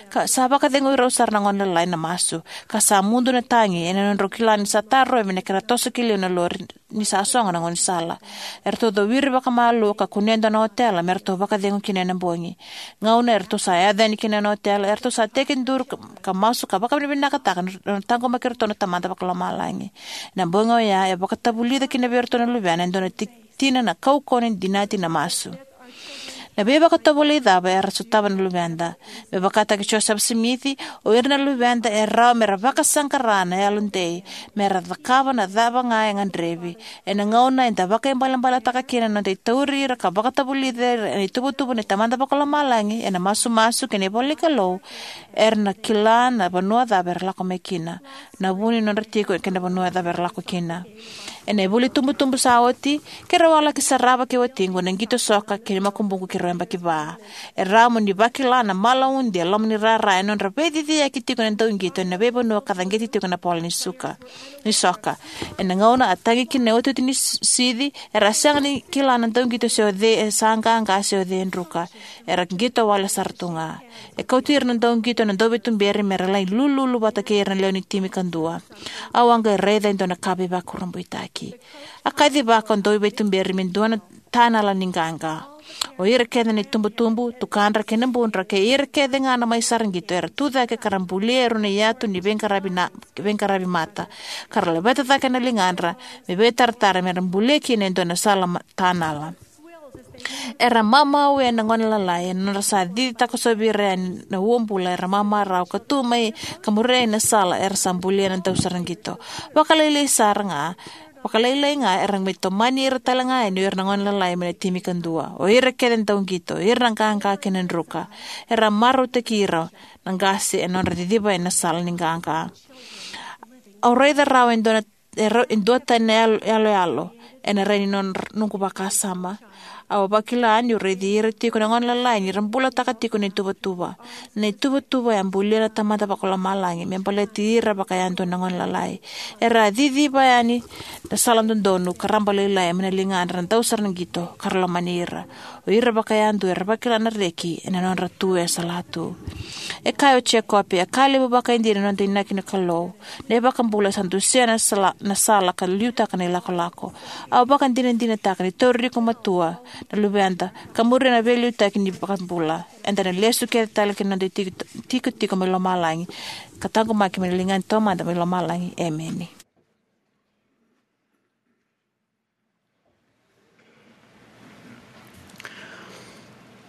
Ka sa vakacegui rau sara na gone lalai na masu, ka sa mudu na tagi ena nodrau kila ni sa tarovi na kena toso ki liu na lori ni sa sogo na gaunisala. Eratou cowiri vakamalua ka kunea e dua na otela me ratou vakacegu kina ena bogi. Gauna eratou sa yaco yani kina ena otela, eratou sa tekiduru ka, ka masu ka vakavinavinakataka na, na taqomaki iratou na Tamada Vakalomalagi. Na bogi oya e vakatavulica kina vei iratou na luvena e dua na ti-, tina na kaukauwa ni dinati na masu. Na veivakatovolei cava era sotava na luveda? Me vakataki Joseph Smith, o ira na luveda e rawa mera vakasaqara na yalodei, mera cakava na cava ga e gadrevi. Ena gauna eda vakaibalebaletaka kina na noda itauri ira ka vakatavulici ira ena ituvatuva ni Tamada Vakalomalagi ena masumasu kei na ivola ni Kalou, era na kila na vanua cava era lako mai kina, na vu ni nodra tiko kei na vanua cava era lako kina. Ena ivuli tubutubu sa oti, keirau a laki sarava kei watiqu na qito soka kei na makubuqu keirau yabaki va. E rawa mo ni vakila na malaudi e loma ni rara e nodra veiciciyaki tiko na dauqito ena veivanua ka caqeti tiko na bola ni suka, ni soka. Ena gauna a tagi kina na iotioti ni s-, sici, era a sega ni kila na dauqito se o cei e sa qaqa se o cei e druka. Era qito wale sara tu ga. E kauti ira na dauqito na dauveituberi mera lai lululu vata kei ira na lewe ni timi kadua. Au a qai raica e dua na ka veivakurabuitaki. A kacivaka o dauveituberi me dua na tanala ni qaqa. O ira kece na itubutubu, tukadra kei na budra kei ira kece ga na mai sara qito era tu cake ka ra bulia e rua na iyatu ni veiqaravi na, veiqaravi mata, ka ra laveta cake na ligadra me veitaratara mera bulia kina e dua na sala ma-, tanala. Era mamau ena gone lalai ena nodra sa cici takosovi ira yani na uabula era mamarau ka tu mai ka muria na sala era sa bulia na dausaraqito. Vakalailai sara ga, vakalailai ga era mai tomani ira tale ga yani o ira na gone lalai mai na timi kadua. O ira kece na dauqito, o ira na qaqa kei na druka. Era marautaki ira na qase ena nodra ciciva ena sala ni qaqa. Au raica rawa e dua na e ra-, e dua tani na yalo, yaloyalo ena rai ni nona, noqu vakasama. Au vakila niu raici ira tiko na gone lalai ni ra bulataka tiko na ituvatuva. Na ituvatuva e a bulia na Tamada Vakalomalagi me baleti ira vakayadua na gone lalai. Era a ciciva yani na sala dodonu ka raba lailai mai na ligadra na dausaraqito ka ra lomani ira. O ira vakayadua era vakila na reki ena nodra tu e salatu. E kaya o Jekope, e ka levu vakaidina na noda inaki na Kalou. Na iVakabula sa dusia na sala, na sala ka liutaka na ilakolako. Au vakadinadinataka ni tauri iko matua na luveda ka muria na veiliutaki ni iVakabula. Eda na lesu kece tale ki na noda tiko, tikotiko mai lomalagi ka taqomaki mai na liga ni Tamada mai lomalagi. Emeni.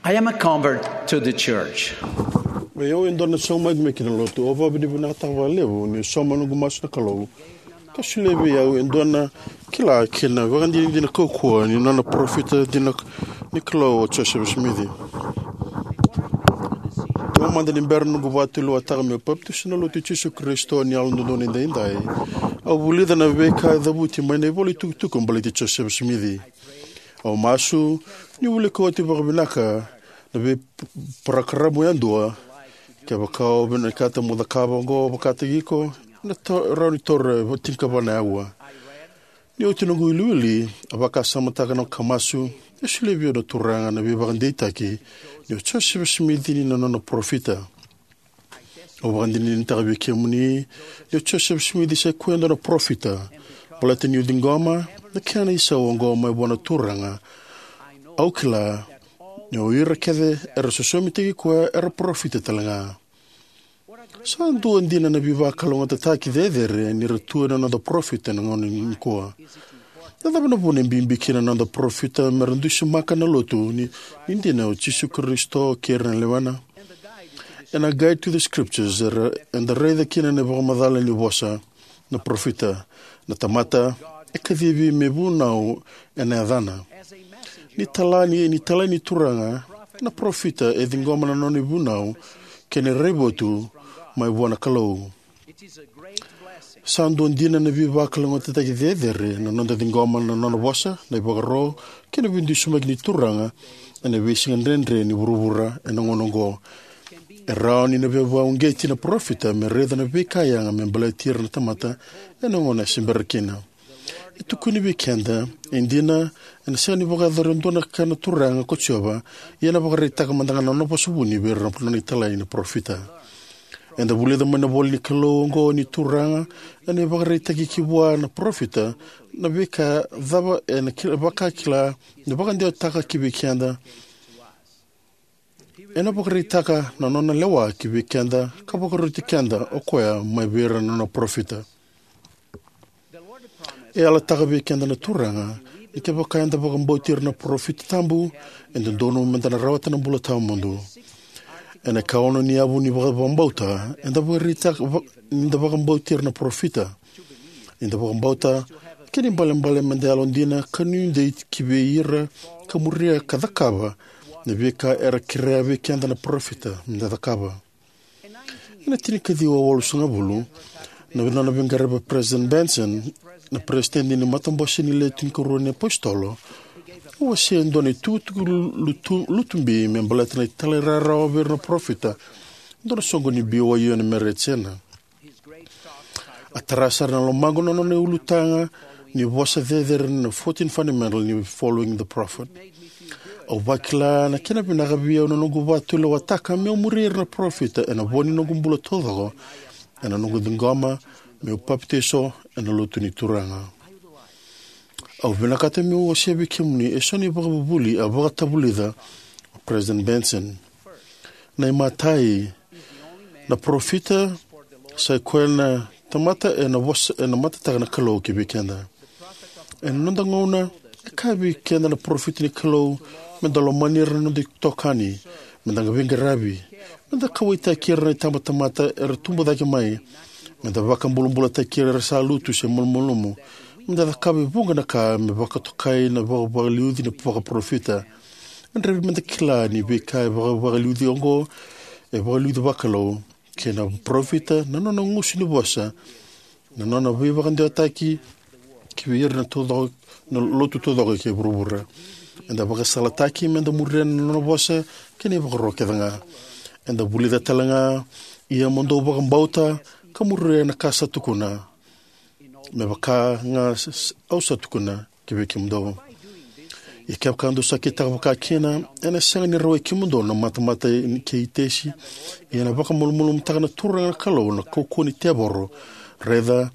I am a convert to the church. Oi au e dua na saumaki mai ki na lotu. Au vakavinavinakataka vakalevu niu sauma noqu masu na Kalou ka solia vei au e dua na kila kei na vakadinadina kaukauwa ni nona parofita dina ni Kalou o Joseph Smith. Ena noqu vakatulewa ni vakabauta na Lotu i Jisu Karisito ni Yalododonu Edaidai, au vulica na veika e cavuti mai na ivolatukutuku baleti Josefa Simici. Au masu niu wilika oti vakavinaka na veiparokaramu yadua. Kevaka o vinakata mo cakava oqo vakataki iko, ena rawa ni taura e tinikava na auwa. Ni oti noqu wiliwili, au vakasamataka ka masu, e solia vei au na Turaga na veivakadeitaki ni o Josefa Simici ni Nona parofita. Au vakadinadinataka vei kemuni ni o Josefa Simici sa ikoya e dua na parofita, baleta niu ciqoma na kena isau oqo mai vua na Turaga, au kila ni o ira kece era sosomitaki koya era parofita talega. Sa dua dina na veivakalougatataki cecere ni ra tu ena noda parofita ena gauna nikua. Na cava na vuna e bibi kina na noda parofita mera dusimaka na Lotu ni dina o Jisu Karisito kei ira na lewena? Ena Guide to the Scriptures, eda raica kina na ivakamacala ni vosa na parofita: na tamata e kacivi me vunau ena yacana. Ni talai ni Turaga, na parofita e ciqoma na nona ivunau kei na raivotu mai vua na Kalou. Sa dua dina na veivakalougatataki cecere na noda ciqoma na Nona vosa, na ivakaro, kei na veidusimaki ni Turaga ena veisiga dredre ni vuravura ena gauna oqo. E rawa ni na veivakauqeti na parofita me raica na veika yaga me baleti ira na tamata ena gauna se bera kina. E tukuni vei keda, e dina, ena sega ni vakayacora e dua na ka na Turaga ko Jiova, ia ena vakaraitaka mada ga na nona vosa vuni vei ira na Nona italai na parofita. Eda vulica mai na ivolanikalou oqo ni Turaga ena ivakaraitaki ki vua na parofita na veika cava ena vakila, ena vakadewataka ki vei keda. Ena vakaraitaka na nona lewa ki vei keda ka vakaroti keda o Koya mai vei ira na Nona parofita. E yalataka vei keda na Turaga ni kevaka eda vakabauti ira na parofita tabu, e dodonu meda na rawata na bula tawamudu. Ena ikaono ni yavu ni vakabauta, eda vakaraitaka ni da vakabauti ira na parofita, ni da vakabauta, kei na ibalebale meda yalodina ka nuidei ki vei ira ka muria ka cakava na veika era kerea vei keda na parofita meda cakava. Ena tinikaciwa walusagavulu, na nona veiqaravi o President Benson, na peresitedi ni Matabose ni Le Tinikarua ni iApositolo, a wasea e dua na itukutuku lutu, lutubi me baleta na talairawarawa vei ira na parofita, dua na soqoni B Y U ena Meretia. A tara sara na lomaqu na nona ulutaga ni vosa cecere na fourteen fundamental ni Following the Prophet. Au vakila na kena vinaka vei au na noqu vakatulewataka meu muri ira na parofita ena vo ni noqu bula taucoko, ena noqu ciqoma meu papitaiso ena Lotu ni Turaga. Au vinakata meu wasea vei kemuni e so na ivakavuvuli a vakatavulica o President Benson. Na imatai, na parofita sa ikoya na tamata ena vosa, ena matataka na Kalou ki vei keda. Ena noda gauna, e kaya vei keda na parofita ni Kalou meda lomani ira na noda itokani, meda veiqaravi, meda kauwaitaki ira na itabatamata era tubu cake mai, meda vakabulabulataki ira era sa lutu se malumalumu, meda cakava e vuqa na ka me vakatokai na vakavakaliuci ni vakaparofita. E gadrevi meda kila ni veika e vakavakaliuci oqo e vakaliuci vakalou, kei na parofita na nona gusu ni vosa, na nona veivakadewataki ki vei ira na taucoko, na lotu taucoko kei vuravura. Eda vakasalataki meda muria na nona vosa kei na ivakaro kece ga. Eda vulica talega, ia mo dou vakabauta ka muria na ka sa tukuna, me vaka ga s-, s-, au sa tukuna ki vei kemudou. Ia kevaka dou sa kitaka vakakina, ena sega ni rawai kemudou na matamata kei Itesi, ia ena vakamalumalumutaka na Turaga na Kalou na kaukauwa ni tevoro. Raica,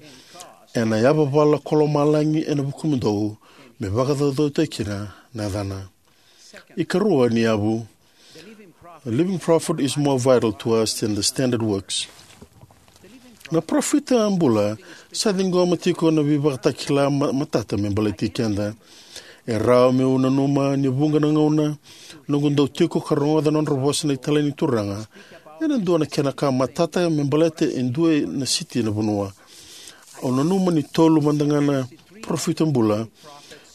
ena yavavala ko lomalagi ena vukumudou, me vakacaucautaki kina na yacana. Ikarua ni yavu, a living prophet is more vital to us than the standard works. Na parofita bula sa ciqoma tiko na veivakatakila ma-, matata me baleti keda. E rawa meu nanuma ni vuqa na gauna noqu dau tiko ka rogoca na nodra vosa na italai ni Turaga ena dua na kena ka matata me baleta e dua na siti ena vanua. Au nanuma ni tolu mada ga na parofita bula,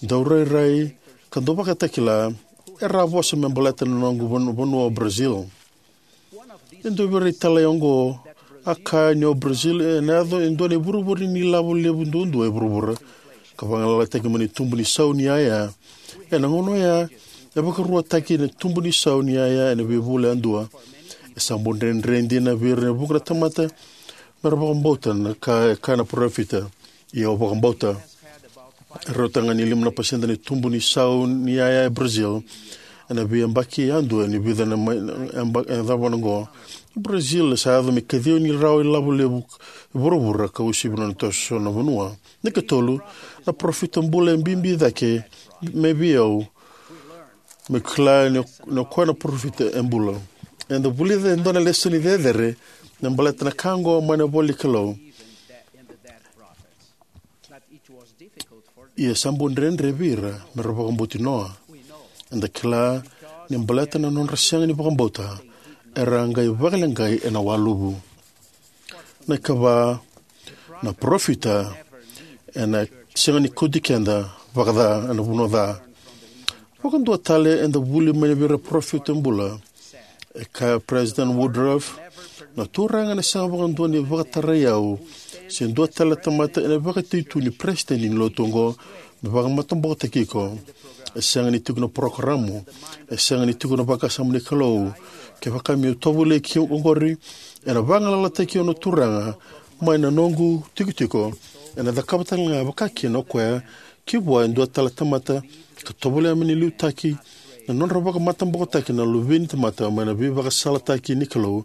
dau rairai ka dau vakatakila, era a vosa me baleta na noqu vanu-, vanua o Brazil. E dua vei ira italai oqo a kaya ni o Brazil ena yaco e dua na ivurevure ni lavo levu duadua e vuravura, ka vagalalataki mai na tubu ni sau ni yaya. Ena gauna oya, e vakaruataki na tubu ni sau ni yaya ena veivula yadua. E sa bau dredre dina vei ira e vuqa na tamata me ra vakabauta na ka e kaya na parofita. Ia au vakabauta. E rauta ga ni lima na pasede na tubu ni sau ni yaya e Brazil ena veiyabaki yadua ni vica na mai na yaba- e cava na oqo. Brazil e sa yaco me kaciva ni rawa ilavo levu e vuravura ka uasivi na nona toso na vanua. Na ikatolu, na parofita bula e bibi cake mai vei au, me kila ni o- ni o koya na parofita e bula. Eda vulica e dua na lesoni cecere me baleta na ka oqo mai na ivola ni Kalou. Ia sa bau dredre vei ira me ra vakabauti Noa. Eda kila ni baleta na nodra sega ni vakabauta, era a qai vakaleqai ena waluvu. Na ikava, na parofita ena sega ni kauti keda vakaca ena vanua ca. Vakadua tale eda vuli mai vei ira parofita bula. E kaya President Woodruff, na Turaga ena sega vakadua ni vakatarai au se dua tale na tamata ena vakatui tu ni peresitedi ni lotu oqo me vakamatabokotaki iko. E sega ni tiko na parokaramu, e sega ni tiko na vakasama ni Kalou. Kevaka meu tovolei ki oqori, ena vagalalataki au na Turaga mai na noqu tikotiko. Ena cakava tale ga vakakina o koya ki vua e dua tale na tamata, ka tovolea me na liutaki na nodra vakamatabokotaki na luve ni tamata mai na veivakasalataki ni Kalou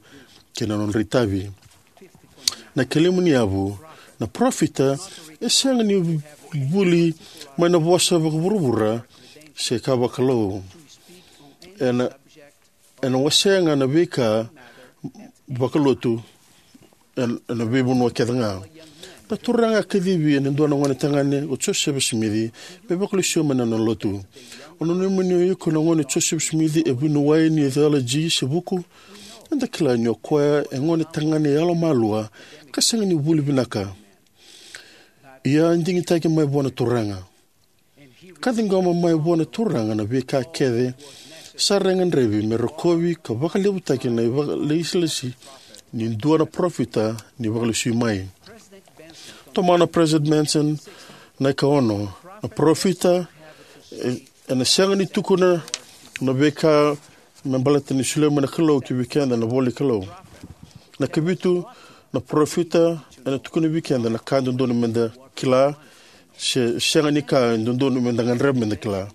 kei na nodra itavi. Na ikalima ni yavu, na parofita e sega ni vuli mai na vosa vakavuravura se ka vakalou. Ena, ena wasea ga na veika vakalotu ena, ena veivanua kece ga. Na Turaga a kacivi ena dua na gone tagane o Josefa Simici me vakalesui mai na nona lotu. O nanuma ni o iko na gone o Josefa Simici e vuniwai ni theology se vuku, eda kila ni o koya e gone tagane yalomalua ka sega ni vuli vinaka. Ia a digitaki mai vua na Turaga. Ka ciqoma mai vua na Turaga na veika kece sa ra gadrevi me rokovi ka vakalevutaki na ivakalesilesi ni dua na parofita ni vakalesui mai. Tomana President Benson na ikaono, na parofita e, ena sega ni tukuna na veika me baleta ni solia mai na Kalou ki vei keda na ivola ni Kalou. Na ikavitu, na parofita ena tukuna vei keda na ka dodonu meda kila se sega ni ka dodonu meda gadreva meda kila.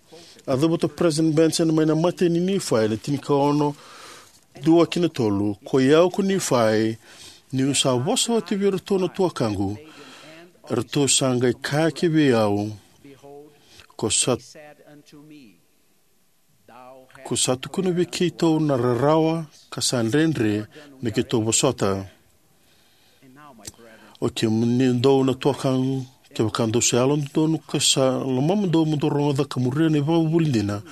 A cavuta President Benson mai na imatai ni Nifai na tinikaono, dua ki na tolu: Koi au ko Nifai, niu sa vosa oti vei iratou na tuakaqu, eratou sa qai kaya ki vei au, ko sa Ko sa tukuna vei keitou na rarawa ka sa dredre me keitou vosota. O kemudou na tuakaqu, kevaka dou sa yalododonu ka sa lomamudou mo dou rogoca ka muria na ivakavuvuli dina,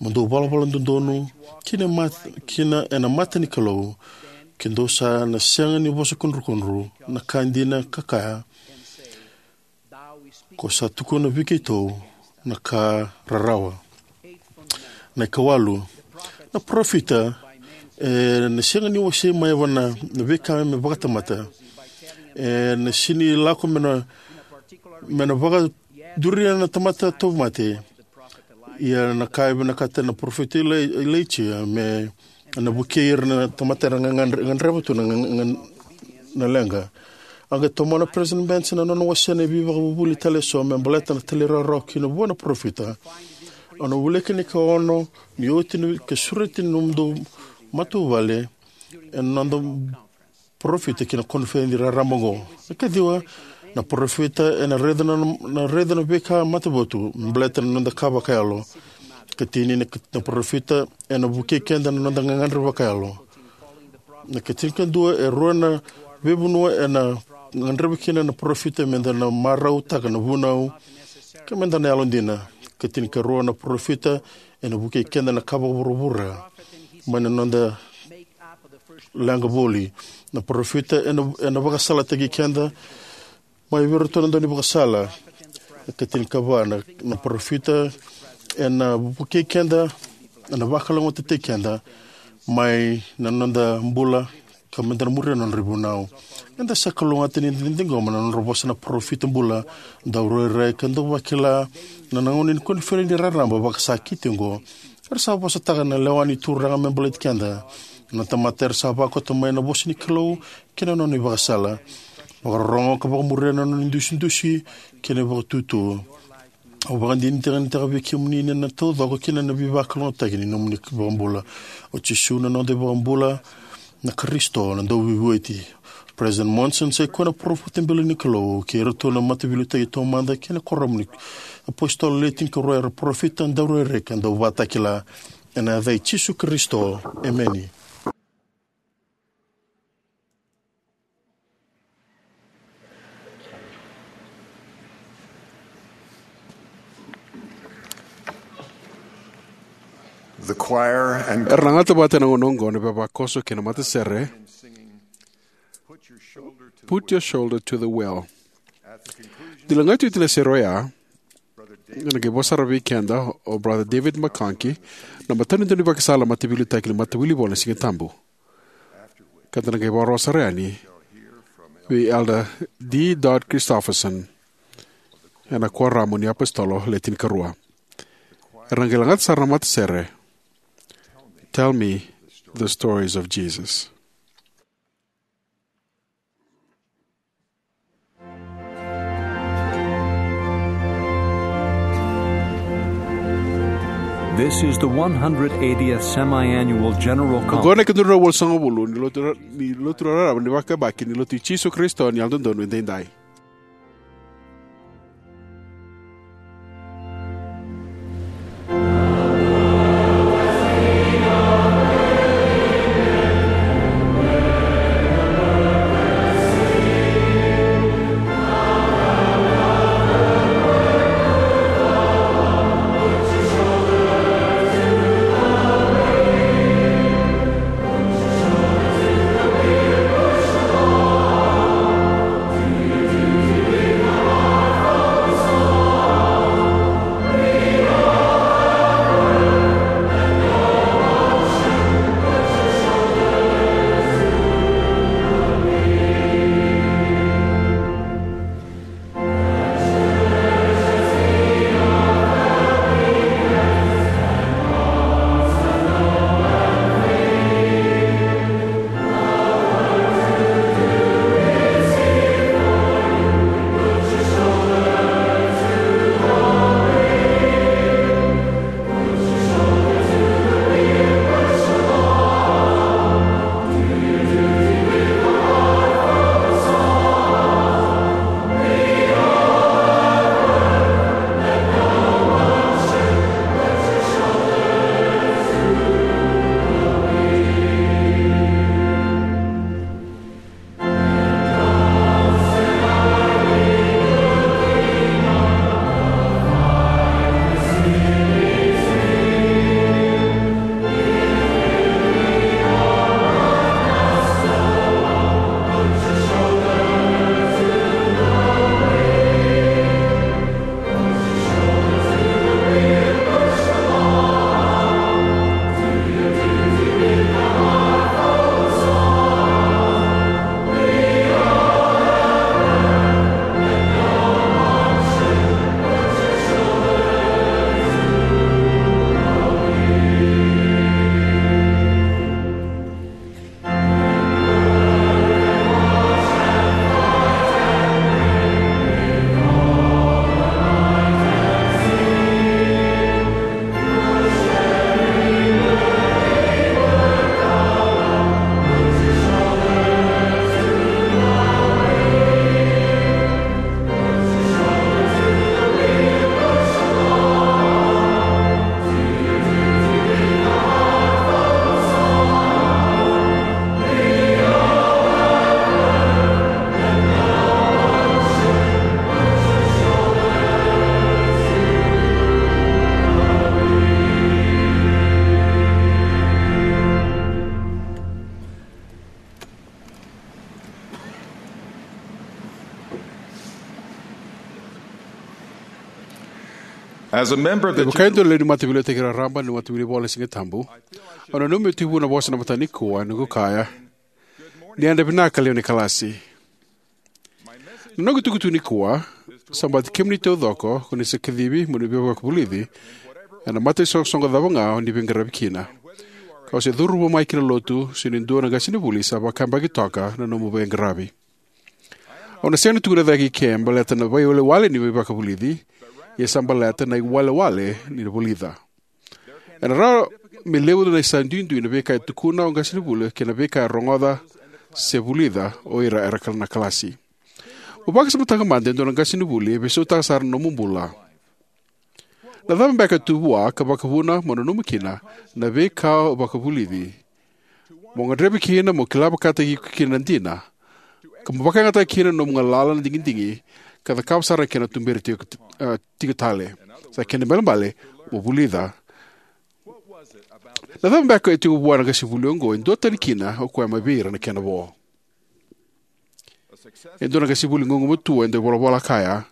mo dou valavala dodonu kina, mat, kina ena mata ni Kalou, ke dou sa na sega ni vosa kudrukudru na ka dina ka kaya, ko sa tukuna vei keitou na ka rarawa. Na ikawalu, na parofita e na sega ni wasei mai vua na veika me vakatamata. E na sega ni lako me na, me na vakaduria na tamata tauvimate. Ia na ka e vinakata na parofita Ilai, Ilaija me na vukei ira na tamata era ga, ga, gadreva tu na, ga, ga, na leqa. A qai tomana President Benson na nona wasea na veivakavuvuli tale eso me baleta na talairawarawa kina vua na parofita. Au na wilika na ikaono ni oti na ka sureti na nomudou matavuvale ena noda parofita ki na koniferedi raraba oqo. Na ikaciwa, na parofita ena raica na, na raica na veika matavotu me baleta na noda ka vakayalo. Ikatini, na, na parofita ena vukei keda na noda gagadre vakayalo. Na ikatinikadua, e rua na veivanua ena gadreva kina na parofita meda na marautaka na vunau ka meda na yalodina. Ikatinikarua, na parofita ena vukei keda na ka vakavuravura mai na noda leqa voli. Na parofita ena, ena vakasalataki keda mai vei iratou na daunivakasala. Ikatinikava, na, na parofita ena vukei keda, ena vakalougatataki keda mai na noda bula ka meda na muria na nodra ivunau. Eda sa kalougata ni da ciqoma na nodra vosa na parofita bula, daurairai ka dauvakila na gauna ni koniferedi raraba vakasakiti oqo. Era sa vosataka na lewa ni Turaga me baleti keda, na tamata era sa vakota mai na vosa ni Kalou kei na nona ivakasala. Vakarorogo ka vakamuria na nona idusidusi kei na ivakatutu. Au vakadinadinataka vei kemuni na taucoko kei na veivakalougatataki ni nomuni iVakabula. O Jisu na noda iVakabula, na Karisito, na Dauveivueti. President Monson sa ikoya na parofita bula ni Kalou, kei iratou na mataveiliutaki taumada kei na kuoramu ni apositolo le tinikarua era parofita, daurairai ka dauvakatakila. Ena yaca i Jisu Karisito, emeni. The choir and era na gata vata ena gauna oqo na ivavakoso kei na matasere. Put your shoulder to the wheel. Ni lagati oti na sere oya, ena qai vosa sara vei keda o Brother David McConkie, na matanitu ni vakasala, mataveiliutaki ni Matawilivola ni Siga Tabu. Ka da na qai vakarorogo sara yani vei Elder D. Dodd Christofferson ena kuoramu ni apositolo le tinikarua. Era na qai lagata sara na matasere, Tell Me the Stories of Jesus. This is the one hundred eightieth Semi-Annual General Conference. Oqo na ikadua na drau walusagavulu ni lotu ra-, ni lotu raraba ni vakayabaki ni Lotu i Jisu Karisito ni Yalododonu Edaidai. As a member of the Me vaka e dua na lewe ni Mataveiliutaki Raraba ni Matawilivola ni Siga Tabu, au nanuma meu tekivu na vosa ena mataka nikua, ena noqu kaya, Ni yadra vinaka, lewe ni kalasi. Na noqu itukutuku nikua sa baleti kemuni taucoko ko ni sa kacivi mo ni veivakavulici ena mataisoqosoqo cava ga o ni veiqaravi kina, ka o se curuma mai ki na lotu se ni dua na qasenivuli sa vakayabaki toka na nomu veiqaravi. Au na sega ni tukuna cake eke baleta na veiwalewale ni veivakavulici, ia sa baleta na iwalewale ni vulica. Ena rawa me levu na sa duidui na veika e tukuna o qasenivuli kei na veika e rogoca se vulica o ira era na kalasi. Mo vakasamataka mada e dua na qasenivuli e veisautaka sara na nomu bula. Na cava beka e tu vua ka vakavuna mo nanuma kina na veika o vakavulici, mo gadreva kina mo kila vakataki iko kina na dina, ka mo vakayagataka kina na nomu galala na digidigi, ka cakava sara na kena tuberi tiko, ah, tiko tale? Sa kena ibalebale mo vulica. Na cava beka e tiko vua na qasenivuli oqo e duatani kina o koya mai vei ira na kena vo? E dua na qasenivuli gugumatua e dau volavola kaya,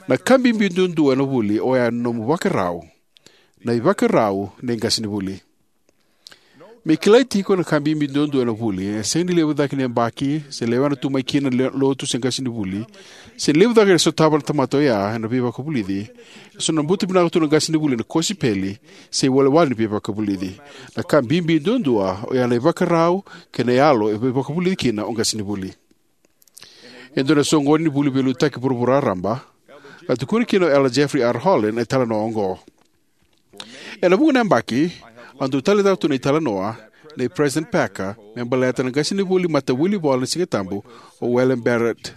na ka bibi duadua ena vuli oya na nomu ivakarau. Na ivakarau ni qasenivuli. Me kilai tiko na ka bibi duadua ena vuli, e sega ni levu cake ni yabaki se lewena tu mai kina na le-, lotu se qasenivuli, se ni levu cake e sotava na tamata oya ena veivakavulici. E so na buta vinaka tu na qasenivuli na kosipeli se iwalewale ni veivakavulici. Na ka bibi duadua oya na ivakarau kei na yalo e veivakavulici kina o qasenivuli. E dua na soqoni ni vuli veiliutaki vuravura raraba, a tukuna kina o Elder Jeffrey R. Holland na italanoa oqo. Ena vuqa na yabaki, au dau taleitaka tu na italanoa nei President Packer me baleta na qasenivuli matawilivola ni Sigatabu, o William Barrett.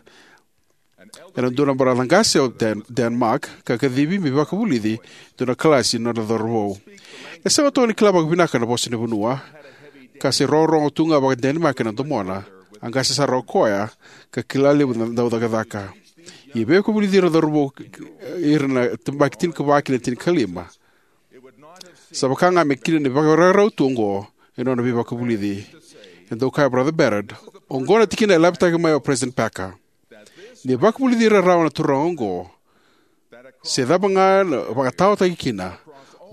Ena dua na baraca qase o Den-, Denmark, ka kacivi me vakavulici e dua na kalasi na nona cauravou. E sega toka ni kila vakavinaka na vosa ni vanua, ka se rogorogo tu ga vaka-Denmark na domona, a qase sara o koya, ka kila levu na daucakacaka. Ia e vakavulici ira na cauravou, ira na yabaki tinikava ki na tinikalima. Sa vaka ga me kila ni vakarau tu oqo e nona veivakavulici. E dau kaya o Brother Barrett, oqo na tikina e lavetaka mai o President Packer. Ni vakavulici ira rawa na turaga oqo, se cava ga na vakataotaki kina,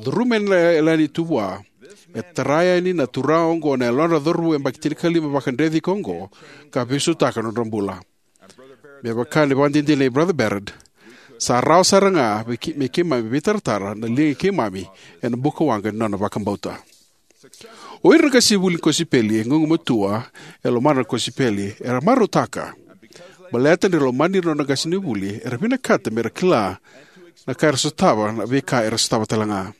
curuma na yalani tu vua, e tara yani na turaga oqo na yalodra cauravou yabaki tinikalima vakadreti iko oqo, ka veisautaka na nodra bula. Me vaka na ivakadinadina nei Brother Barrett, sa rawa sara ga me kei-, me keimami veitaratara na liga i keimami ena buka waqa ni nona vakabauta. O ira na qasenivuli ni kosipeli e gugumatua, e lomana na kosipeli, era marautaka. Baleta ni ra lomani ira na nona qasenivuli, era vinakata me ra kila na ka era sotava, na veika era sotava tale ga.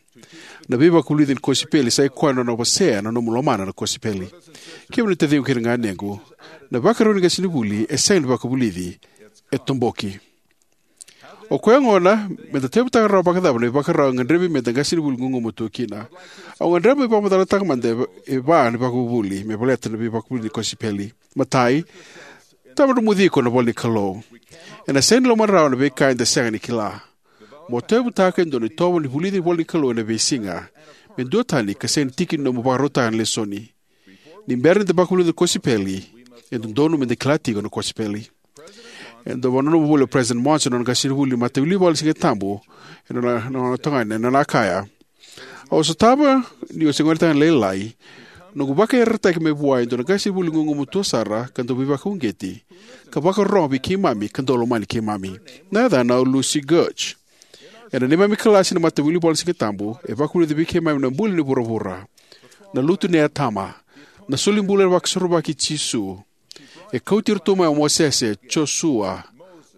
Na veivakavulici ni kosipeli sa i koya na nona wasea na nomu lomana na kosipeli. Kemuni na taciqu kei na ganequ, na ivakarau ni qasenivuli e sega ni vakavulici, e toboki. O koya gona, me da tauyavutaka rawa vakacava na ivakarau e gadrevi me da qasenivuli gugumatua kina? Au gadreva meu vakamacalataka mada e va, e va na ivakavuvuli me baleta na veivakavulici ni kosipeli. Matai, tawadromuci iko na ivola ni Kalou. Ena sega ni lomani rawa na veika eda sega ni kila. Mo tauyavutaka e dua na itovo ni vulici na ivola ni Kalou ena veisiga. Me duatani ka sega ni tiki ni nomu vakarautaka na lesoni. Ni bera ni da vakavulica na kosipeli, e dodonu me da kila tiko na kosipeli. E dau vakananuma voli o President Monson na nona qasenivuli matawilivola ni Sigatabu, ena nona, nona tokani, ena nona kaya, au sotava niu se gonetagane lailai, noqu vakayarayarataki mai vua e dua na qasenivuli gugumatua sara ka dau veivakauqeti, ka vakarorogo vei keimami ka dau lomani keimami. Na yacana o Lucy Gertsch. Ena neimami kalasi na matawilivola ni Sigatabu, e vakavulici vei keimami na buli ni vuravura, na lutu nei Atama, na solibula vakasorovaki i Jisu. E kauti iratou mai o Mosese, Josua,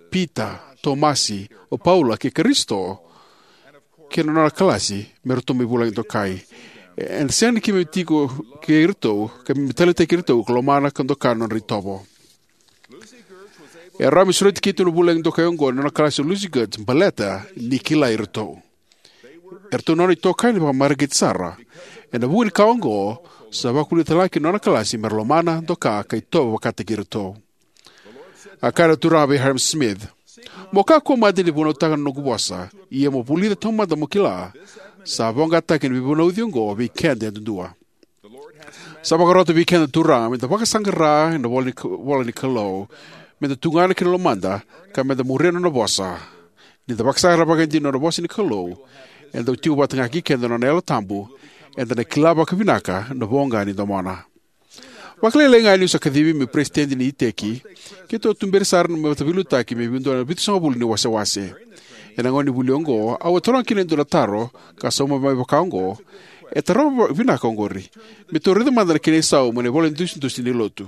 Pita, Tomasi, o Paula, kei Karisito, kei na nona kalasi, me ratou mai vulagi dokai. E, ena sega ni keimami tiko kei iratou, keimami taleitaki iratou ka lomana ka doka na nodra itovo. E rawa me sureti keitou na vulagi dokai oqo na nona kalasi o Lucy Gertsch baleta ni kilai iratou. Eratou na nona itokani vakamareqeti sara. Ena vuku ni ka oqo, sa vakavulica tale ga kina na nona kalasi me ra lomana, doka, ka itovo vakataki iratou. A kaya na Turaga vei Hyrum Smith, mo kakua mada ni vunautaka na noqu vosa, ia mo vulica taumada mo kila, sa voqataki na veivunauci oqo vei keda yadudua. Sa vakarota vei keda na Turaga me da vakasaqara ena ivola ni Ka-, ivola ni Kalou, me da tugana ki na lomada, ka me da muria na nona vosa. Ni da vakasaqara vakaidina na nona vosa ni Kalou, eda dau tiko vata ga kei keda na nona Yalo Tabu, eda na kila vakavinaka na voqa ni domona. Vakalailai ga niu sa kacivi meu peresitedi ni iteki, keitou a tuberi sara na mataveiliutaki mai vei dua na vitusagavulu ni wasewase. Ena gauna ni vuli oqo, au a taroga kina e dua na taro ka sauma mai vaka oqo: E tarova vinaka oqori. Me tou raica mada na kena isau mai na ivola ni dusidusi ni lotu.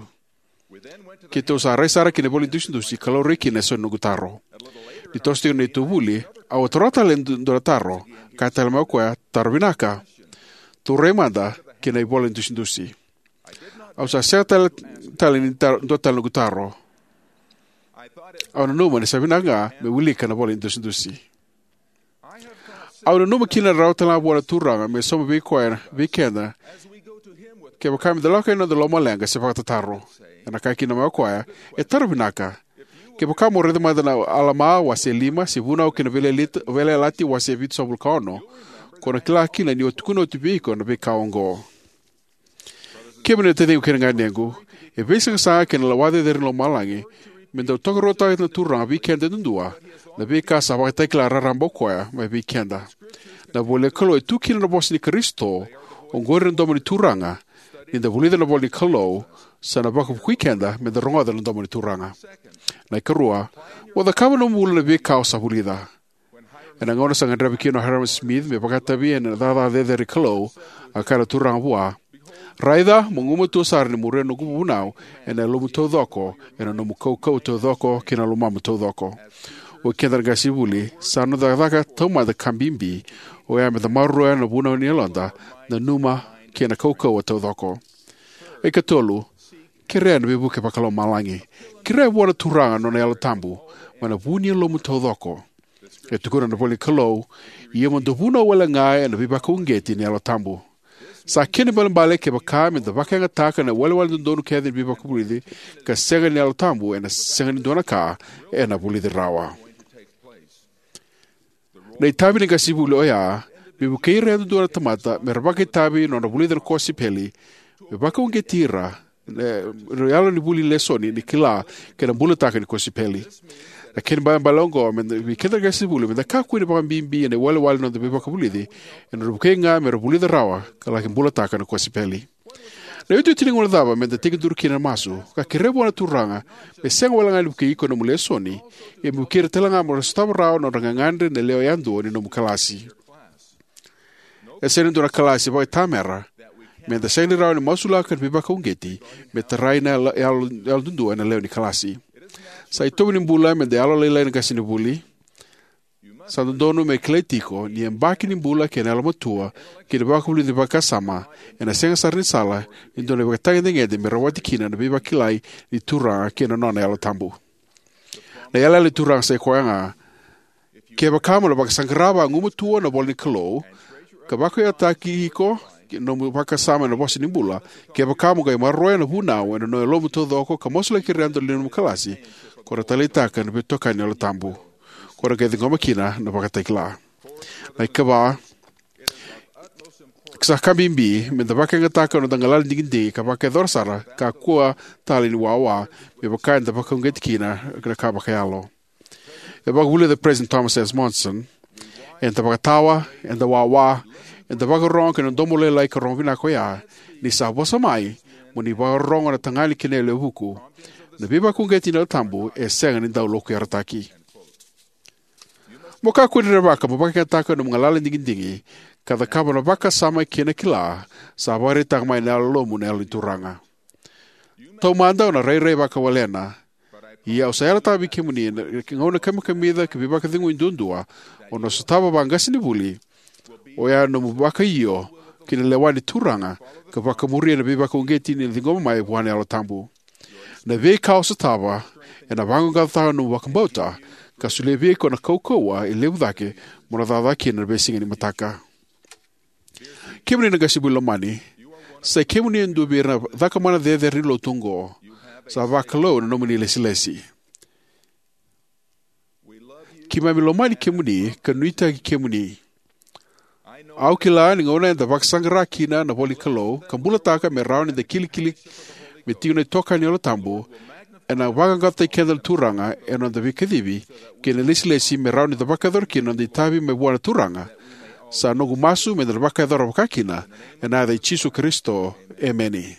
Keitou sa rai sara ki na ivola ni dusidusi ka laurai kina e so ni noqu taro. Ni toso tiko na neitou vuli, au a taroga tale e dua na taro. Kaya tale mai o koya: Taro vinaka. Tou rai mada ki na ivola ni dusidusi. Au sa sega tale, tale ni tar-, dua tale noqu taro. Au nanuma ni sa vinaka ga meu wilika na ivola ni dusidusi. Au nanuma kina e rawa tale ga vua na Turaga me sauma vei koya, vei keda, kevaka meda lako yani ena noda lomaleqa se vakatataro. Ena kaya kina mai o koya: E taro vinaka. Kevaka mo raica mada na Alama wase lima, se Vunau kei na Veiyalayalati, Veiyalayalati wase vitusagavulu ka ono, ko na kila kina niu a tukuna oti vei iko na veika oqo. Kemuni na taciqu kei na ganequ, e veisaqasaqa kei na lewa cecere ni lomalagi me dau tokaruataka na Turaga vei keda yadudua na veika sa vakatakila raraba o koya mai vei keda. Na ivolanikalou e tu kina na vosa ni Karisito. Oqori na domo ni Turaga. Ni da vulica na ivolanikalou, sa na vakavukui keda me da rogoca na domo ni Turaga. Na ikarua, mo cakava ena nomu bula na veika o sa vulica. Ena gauna sa gadreva kina o Hyrum Smith me vakaitavi ena cakacaka cecere ni Kalou, a kaya na Turaga vua: Raica, mo gumatua sara ni muria na noqu vunau ena yalomu taucoko, ena nomu kaukauwa taucoko, kei na lomamu taucoko. Oi keda na qasenivuli, sa noda cakacaka taumada ka bibi oya me da maroroya na vunau ni yaloda, na nanuma, kei na kaukauwa taucoko. Ikatolu, kerea na veivuke vakalomalagi. Kerea vua na Turaga na nona Yalo Tabu mai na vu ni yalomu taucoko. E tukuna na ivolanikalou: Ia mo dou vunau wale ga ena veivakauqeti ni Yalo Tabu. Sa kena ibalebale kevaka me da vakayagataka na iwalewale dodonu kece ni veivakavulici, ka sega ni Yalo Tabu, ena sega ni dua na ka ena vulici rawa. Na itavi ni qasenivuli oya me vukei ira yadudua na tamata me ra vakaitavi ena nodra vulica na kosipeli, me vakauqeti ira na yalo ni vuli lesoni ni kila kei na bulataka ni kosipeli. Na kena ibalebale oqo me da, vei keda na qasenivuli, me da kakua ni vakabibi ena iwalewale ni noda veivakavulici, ena nodra vukei ga me ra vulica rawa ka laki bulataka na kosipeli. Na iotioti ni gauna cava me da tekiduru kina ena masu, ka kerea vua na Turaga me sega wale ga ni vukei iko ena nomu lesoni, ia me vukei ira tale ga mo ra sotava rawa na nodra gagadre na lewe yadua ni nomu kalasi. E sega ni dua na kalasi vakaitamera me da sega ni rawa ni masulaka na veivakauqeti me tarai na yalo, yalo, yalododonu ena lewe ni kalasi. Sa itovo ni bula me da yalolailai na qasenivuli. Sa dodonu me kilai tiko ni yabaki ni bula kei na yalomatua kei na veivakavulici ni vakasama ena sega sara ni sala ni dua na ivakatagedegede me rawati kina na veivakilai ni Turaga kei na nona Yalo Tabu. Na yalayala ni Turaga sa i koya ga: Kevaka mo na vakasaqara vagumatua na ivola ni Kalou, ka vakayagataki iko na nomu vakasama ena vosa ni bula, kevaka mo qai maroroya na vunau ena nomu yalomu taucoko ka masulaki ira yadua na nomu kalasi, ko na taleitaka na veitokani ni Yalo Tabu. Ko na qai ciqoma kina na ivakatakila. Na ikava, sa ka bibi me da vakayagataka na noda galala ni digidigi ka vakayacora sara, kakua tale ni wawa, me vaka eda vakauqeti kina na ka vakayalo. E vakavulica o President Thomas S. Monson: Eda vakatawa, eda wawa, eda vakarorogo ki na domo lailai ka rogo vinaka oya, ni sa vosa mai: Mo ni vakarorogo na tagane kei na yalewa vuku. Na veivakauqeti ni Yalo Tabu e sega ni dau lokuyarataki. Mo kakua ni rerevaka mo vakayagataka na nomu galala ni digidigi ka cakava na vakasama kei na kila sa vakaraitaka mai na yalomu na Yalo ni Turaga. Taumada o na rairai vakawalena, ia au sa yalataka vei kemuni, ena gauna kamikamica ka veivakacegui duadua o na sotava vaqasenivuli, oya na nomu vakaio ki na lewa ni Turaga ka vakamuria na veivakauqeti ni na ciqoma mai vua na Yalo Tabu. Na veika o sotava ena vaqaqacotaka na nomu vakabauta ka solia vei iko na kaukauwa e levu cake mo na cakacaka kina ena veisiga ni mataka. Kemuni na qasenivuli lomani, sa i kemuni e dua vei ira na cakamana cecere ni lotu oqo. Sa vakalou na nomuni ilesilesi. Keimami lomani kemuni ka nuitaki kemuni. Au kila ni gauna eda vakasaqara kina na ivola ni Kalou ka bulataka me rawa ni da kilikili me tiko na itokani ni Yalo Tabu, ena vaqaqacotaki keda na Turaga ena noda veikacivi kei na ilesilesi me rawa ni da vakayacora kina na noda itavi mai vua na Turaga. Sa noqu masu me da na vakayacora vakakina, ena yaca i Jisu Karisito, emeni.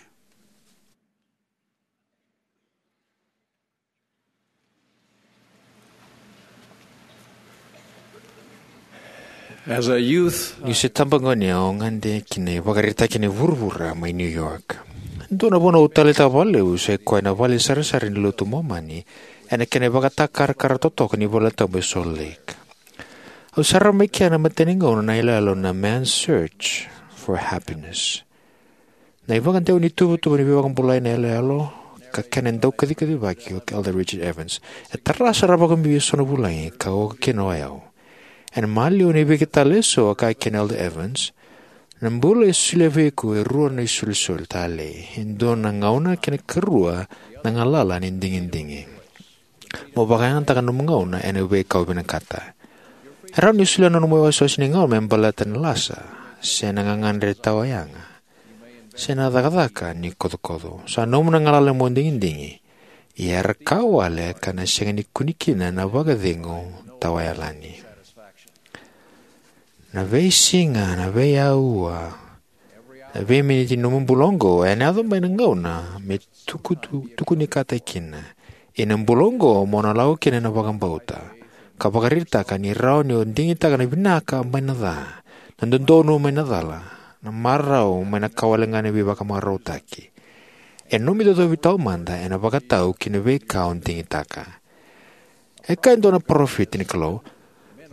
As a youth, niu se tabagone, au gade ki na ivakaraitaki ni vuravura mai New York. Dua na vanua au taleitaka vakalevu sa i koya na vale sarasara ni lotu Momani ena kena ivakatakarakara totoka ni valetabu e Salt Lake. Au sarava mai kea na imatai ni gauna na iyaloyalo na Man's Search for Happiness. Na ivakadewa ni ituvatuva ni veivakabulai na iyaloyalo ka kena daukacikacivaki o Elder Richard Evans e tara sara vakabibi eso na vulagi ka oka kina o yau. Ena maliwa ni veika tale eso, a kaya kina o Elder Evans, na bula e solia vei iko e rua na isolisoli talei, e dua na gauna kei na karua na galala ni digidigi. Mo vakayagataka na nomu gauna ena veika o vinakata. E rawa ni solia na nomu iwasewase ni gauna me baleta na lasa, se na gagadre tawayaga, se na cakacaka ni kocokoco. Sa nomu na galala mo digidigi, ia era ka wale ka na sega ni kune kina na vakacegu tawayalani. Na veisiga, na veiaua, na veiminiti ni nomu bula oqo ena yaco mai na gauna me tukutu- tukunikataki kina. Ia na bula oqo mo na lako kina ena vakabauta ka vakaraitaka ni rawa ni o digitaka na vinaka mai na ca, na dodonu mai na cala, na marau mai na ka wale ga ni veivakamarautaki. E nomu icocovi taumada ena vakatau ki na veika o digitaka. E kaya e dua na parofita ni Kalou,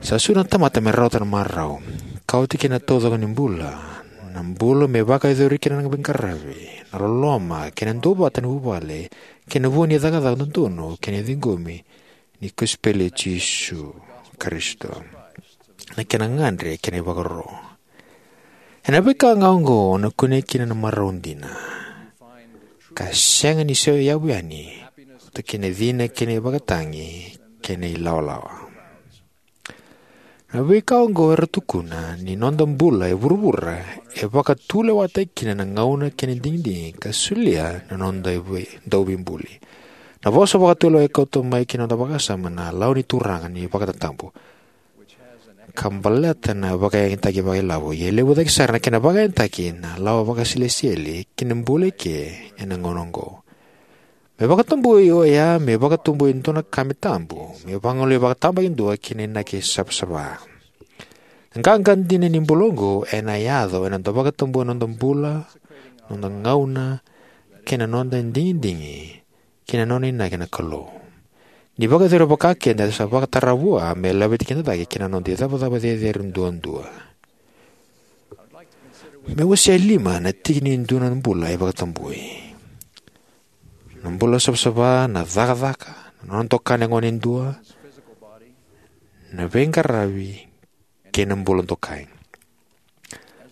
sa sui na tamata me rawata na marau, ka oti kina na taucoko ni bula, na bula me vakayacori kina na veiqaravi, na loloma kei na duavata ni vuvale, kei na vua ni cakacaka dodonu kei na ciqomi ni kosipeli i Jisu Karisito, na kena gadre kei na ivakaro. Ena veika ga oqo o na kunea kina na marau dina, ka sega ni se yavu yani, vata kei na cina kei na ivakatagi kei na ilawalawa. Na veika oqo era tukuna ni noda bula e vuravura e vakatulewataki kina na gauna kei na digidigi ka solia na noda vei- dauveibuli. Na vosa vakatulewa e kauta mai ki na noda vakasama na lawa ni Turaga ni vakatatabu, ka baleta na vakayagataki vakailavo, ia e levu cake sara na kena vakayagataki na lawa vakasilesitieli ki na bula eke ena gauna oqo. Me vakatabui oya, me vakatabui e dua na ka me tabu, me vagolei vakatabakidua ki na inaki savasava. Na qaqa dina ni bula oqo ena yaco ena noda vakatabui na noda bula, noda gauna, kei na noda digidigi ki na nona inaki na Kalou. Ni vakayacori vaka keda, eda sa vakatara vua me laveti keda cake ki na noda icavacava cecere duadua. Me wasea e lima na tiki ni dua na bula e vakatabui: na bula savasava, na cakacaka, na nona dokai na gone e dua, na veiqaravi, kei na bula dokai.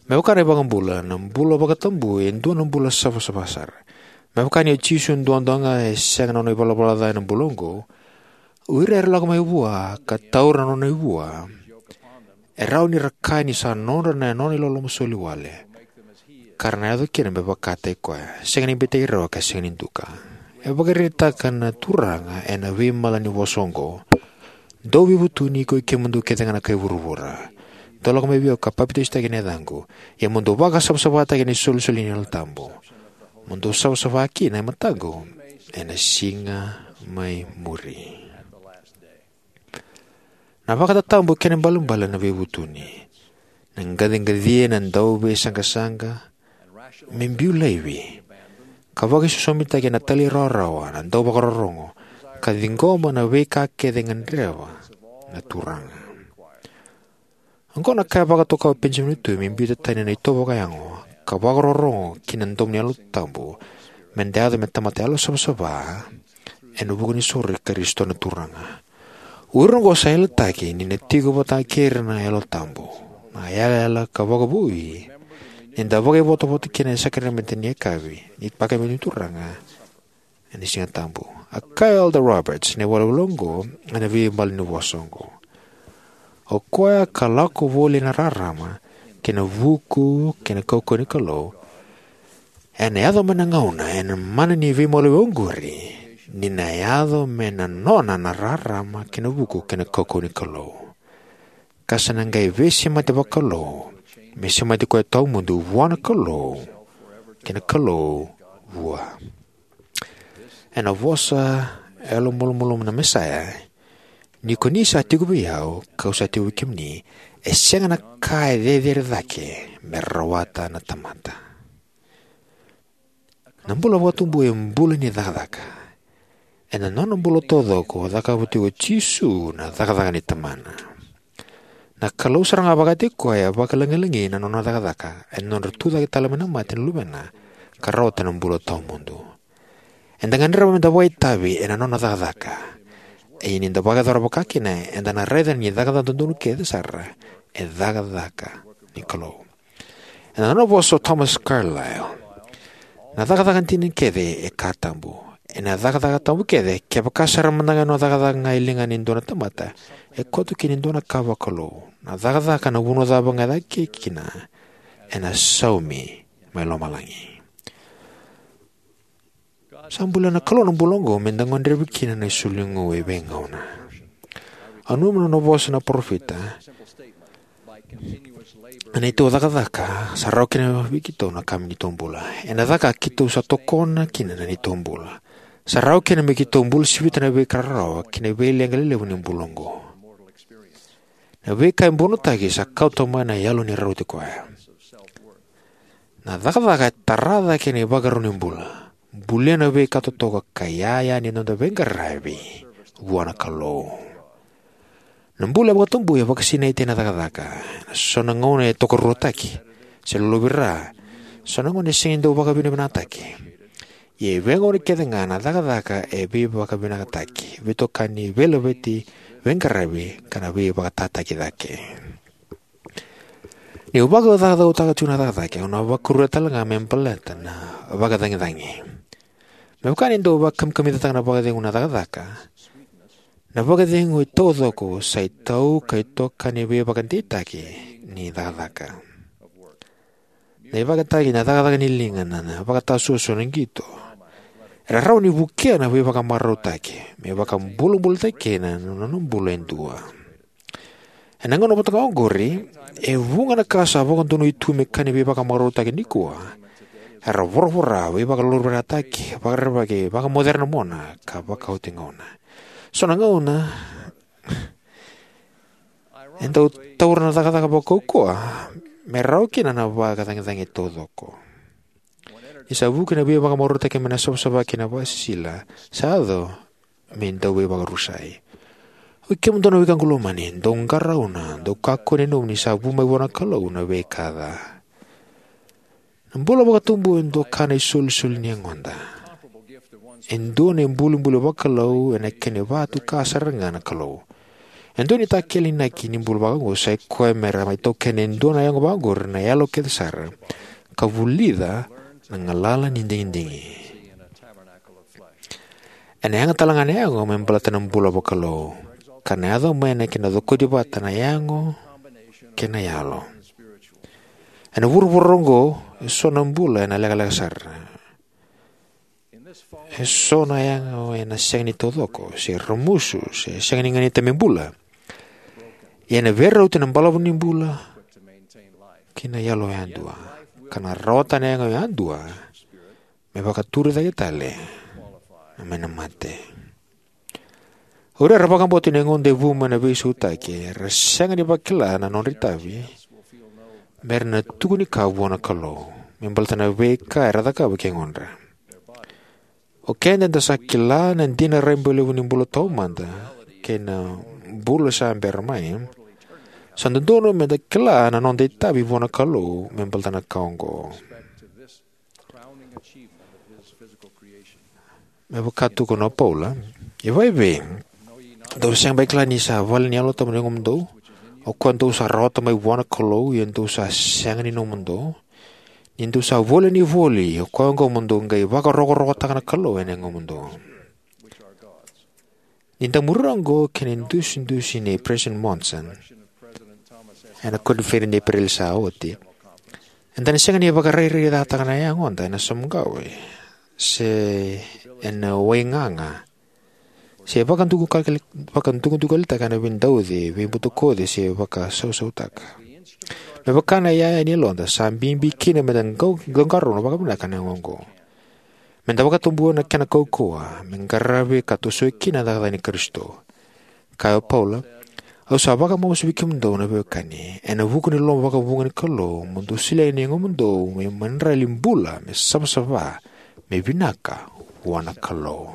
Me vaka na iVakabula, na bula vakatabui e dua na bula savasava sara. Me vaka ni o Jisu duadua ga e sega na nona ivalavala ca ena bula oqo, o ira era lako mai vua ka taura na nona ivua e rawa ni ra kaya ni sa nodra na nona iloloma soli wale, ka ra na yaco kina me vakataki koya, sega ni beitaki rawa ka sega ni duka. E vakaraitaka na Turaga ena veimalanivosa oqo: Dou veivutuni, koi kemudou kece ga na kai vuravura, dou lako mai vei au ka papitaisotaki ena yacaqu, ia mo dou vakasavasavataki ena isolisoli ni Yalo Tabu, mo dou savasava kina e mataqu ena siga mai muri. Na vakatatabu kei na ibalebale na veivutuni, na qaciqacia, na dauveisaqasaqa me biu laivi, ka vakaisosomitaki ena talairawarawa, na dauvakarorogo, ka ciqoma na veika kece e gadreva na Turaga. Oqo na ka e vakatoka o Penijamini Waitu me biuta tani na itovo vakayago ka vakarorogo ki na domo ni Yalo Tabu, me da yaco me tamata yalosavasava ena vuku ni soro i Karisito na Turaga. O ira oqo sa yalataki ni na tiko vata kei ira na Yalo Tabu, na yalayala ka vakavoui ni da vakaivotavota kina ena sakaramede ni yakavi ni Vakayagataki ni Turaga ena Siga Tabu. A kaya o Elder Roberts na iwalewale oqo ena veimalanivosa oqo: O koya ka lako voli ena rarama kei na vuku kei na kaukauwa ni Kalou, ena yaco mai na gauna ena mana ni veimaliwai oqori, ni na yaco me na nona na rarama kei na vuku kei na kaukauwa ni Kalou, ka sa na qai veisemati vakalou, me semati koya tawamudu vua na Kalou kei na Kalou vua. Ena vosa yalomalumalumu na Mesaia: Ni ko ni sa tiko vei au, ka'u sa tiko vei kemuni, E sega na ka e cecere cake me rawata na tamata. Na bula vakatubu e bula ni cakacaka. Ena nona bula taucoko, cakava tiko o Jisu na cakacaka ni Tamana. Na Kalou sara ga vakataki koya e vakalagilagi na nona cakacaka ena nodra tucake tale mai na mate na Luvena ka rawata na bula tawamudu. Eda gadreva meda vakaitavi ena nona cakacaka. Ia ni da vakayacora vakakina, eda na raica ni cakacaka dodonu kece sara e cakacaka ni Kalou. Ena nona vosa o Thomas Carlyle, na cakacaka dina kece e ka tabu. Ena cakacaka tabu kece, kevaka sara mada ga e nona cakacaka ga e ligana e dua na tamata, e koto kina e dua na ka vakalou. Na cakacaka na vanua cava ga e caka kina, ena saumi mai lomalagi. Sa bulia na Kalou na bula oqo meda gadrevi kina na isulu ni gu e veigauna. Au nanuma na nona vosa na parofita. Na neitou cakacaka sa rawa kina vei keitou na ka me neitou bula. Ena caka keitou sa tokona kina na neitou bula. Sa rawa kina me keitou bula sivita na veika rarawa kei na veileqa lelevu ni bula oqo. Na veika e bunotaki sa kauta mai na yalo ni rauti koya. Na cakacaka e tara cake na ivakarau ni bula, bulia na veika totoka ka iyaya ni noda veiqaravi vua na Kalou. Na bula e vakatubu e vakasinaiti ena cakacaka. Ena so na gauna e tokaruataki se lolovira. So na gauna e sega ni dau vakavinavinakataki. Ia e veigauna kece ga na cakacaka e veivakavinakataki, veitokani, veilaveti, veiqaravi ka na veivakatataki cake. Niu vakacaucautaka tiko na cakacaka, au na vakuria tale ga me baleta na vakacagicagi. Me vaka ni dau vakamikamicataka na vakacegu na cakacaka, na vakacegu e taucoko sa itau ka itokani veivakadeitaki ni cakacaka. Na ivakatagi na cakacaka ni liga, na, na vakatasuasua, na qito, era rawa ni vukea na veivakamarautaki me vakabulabulataki kina na nona bula e dua. Ena gauna vata ga oqori, e vuqa na ka sa vakadonui tu me ka ni veivakamarautaki nikua era voravora, veivakalolovirataki, vakarerevaki, vakamocere na mona ka vakaoti gauna. So na gauna e dau taura na cakacaka vakaukauwa me rawa kina na vakacagicagi taucoko. Ni sa vuki na veivakamarautaki mai na savasava kei na vakasisila, sa yaco me dau veivakarusai. Oi kemudou na wekaqu lomani, dou qarauna, dou kakua ni nanuma ni sa vu mai vua na Kalou na veika ca. Na bula vakatubu e dua ka na isolisoli ni yagoda. E dua na ibulibuli vakalou ena kena ivakatuka sara ga na Kalou. E dua na itakele inaki ni bula vakaoqo sa i koya me ra mai taukena e dua na yago vakaoqori na yalo kece sara ka vulica na galala ni digidigi. Ena yaga tale ga na yago me baleta na bula vakalou, ka na yaco mai na kena cokoti vata na yago kei na yalo. Ena vuravura oqo, e so na bula ena lekaleka sara. E so na yago ena sega ni taucoko, se ramusu, se sega ni ganita me bula. Ia ena veirauti na balavu ni bula kei na yalo yadua, ka na rawata na yago yadua me vakaturi cake tale mai na mate. O ira era vakabauta ni yagoda e vu mai na veisautaki era sega ni vakila na nodra itavi me ra na tukuni ka vua na Kalou me baleta na veika era cakava ki yagodra. O keda eda sa kila na dina raiba levu ni bula taumada kei na bula sa bera mai. Sa dodonu meda kila na noda itavi vua na Kalou me baleta na ka oqo. Me vaka tukuna o Paula, e vakaevei, dou sega beka ni kila ni sa vale ni Yalo Tabu na yagomudou, o koya dou sa rawata mai vua na Kalou, ia dou sa sega ni nomudou? Ni dou sa volia na voli, o koya oqo mo dou qai vakarokorokotaka na Kalou ena yagomudou. Ni da muria oqo kei na idusidusi nei President Monson ena koniferedi ni Epereli sa oti, eda na sega ni vakarairairataka na yagoda ena samuqawe se ena waigaga se vakadukadukalitaka ena veidauci, veibutakoci se vakasausautaka. Me vaka na iyaya ni yaloda, sa bibi kina meda qau-, qaqarauna vakavinaka na yago oqo. Meda vakatabuya na kena kaukauwa me qaravi ka tosoya kina na cakacaka ni Karisito. Kaya o Paula, Au sa vakamamasu vei kemudou na veiwekani ena vuku ni loloma vakavuqa ni Kalou, mo dou solia na yagomudou me madrali bula, me savasava, me vinaka vua na Kalou.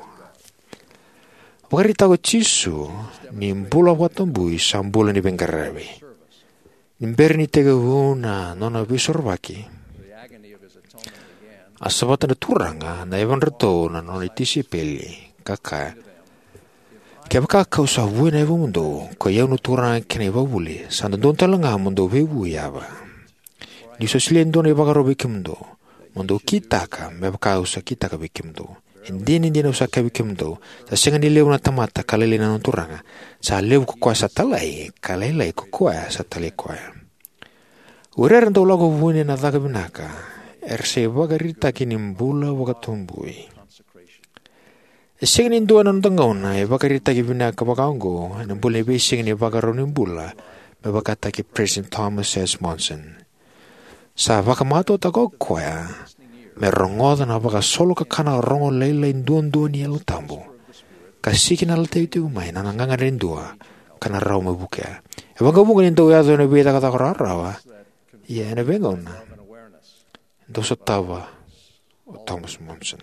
Vakaraitaka o Jisu ni bula vakatabui sa bula ni veiqaravi. Ni bera ni tekivu na nona veisorovaki, a savata na Turaga na yavadra na nona tisaipeli, ka kaya: Kevaka kau sa vuya na yavamudou, koi au na Turaga kei na ivakavuvuli, sa dodonu talega mo dou veivui yava. Niu sa solia e dua na ivakaro vei kemudou, mo dou kitaka me vaka au sa kitaka vei kemudou. E dina, e dina, au sa kaya vei kemudou, sa sega ni levu na tamata ka lailai na nona turaga; sa levu ko koya sa talai, ka lailai ko koya sa talai koya. O ira era dau lako vuni ena caka vinaka era sa ivakaraitaki ni bula vakatabui. E sega ni dua ena noda gauna e ivakaraitaki vinaka vakaoqo ena bula ni veisiga ni ivakarau ni bula, me vakataki President Thomas S. Monson. Sa vakamatautaka o koya me rogoca na vakasolokakana rogolailai duadua ni Yalo Tabu, ka sikinalataki tiko mai na gagadre e dua ka na rawa me vukea. E vakavuqa ni dau yaco ena veicakacaka rawarawa, ia ena veigauna e dau sotava o Thomas Monson.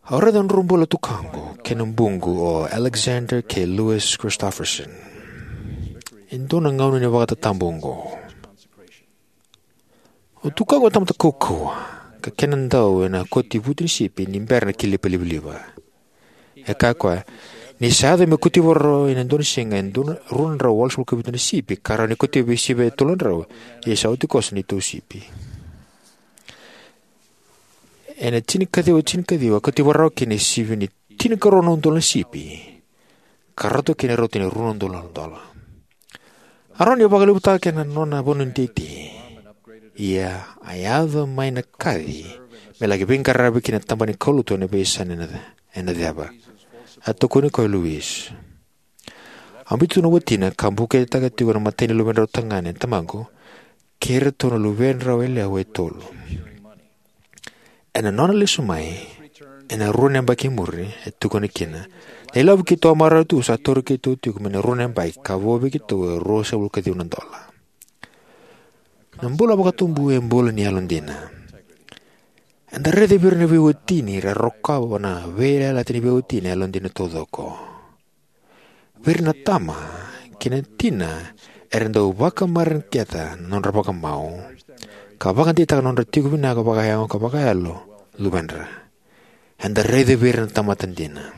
Au raica na nodrau bula na tukaqu kei na buqu, o Alexander kei Louis Christofferson, e dua na gauna ni vakatatabu oqo. O tukaqu e tamata kaukauwa, ka kena dau ena kotivutu ni sipi ni bera na kilipa livaliva. E kaya o koya ni sa yaco me kauti vakarau ena dua na siga e dua na rua na drau walusagavulu ka vitu na sipi, ka rawa ni kauti vei sivi e tolu na drau, ia sa oti koso na neitou sipi. Ena tinikaciwa tinikaciwa, a kauti vakarau kina e sivi ni tinikarua na udolu na sipi, ka ratou kina e rauta ni rua na udolu na dola. A rawa ni vakalevutaka kina na nona vanua ni teitei, ia a yaco mai na kaci me laki veiqaravi ki na tabana ni kaulotu ena veiyasana ena, ena ceva. A tukuni koya o Louis. A biuta tu na watina ka bukaitaka tiko na imatai ni luvedrau tagane na tamaqu kei iratou na luvedrau yalewa e tolu. Ena nona lesu mai ena rua na yabaki i muri, e tukuna kina, na ilavo keitou a marau tu sa tauri keitou tiko mai na rua na yabaki ka vo vei keitou e ruasagavulu ka ciwa na dola. Na bula vakatabui e bula ni yalodina. Eda raica vei ira na veiwatini era rokova na veiyalayalati ni veiwatini e yalodina taucoko. Vei ira na tama kei na tina era dau vakamareqeta na nodra vakamau ka vakadeitaka na nodra tiko vinaka vakayago ka vakayalo luvedra. Eda raica vei ira na tamata dina.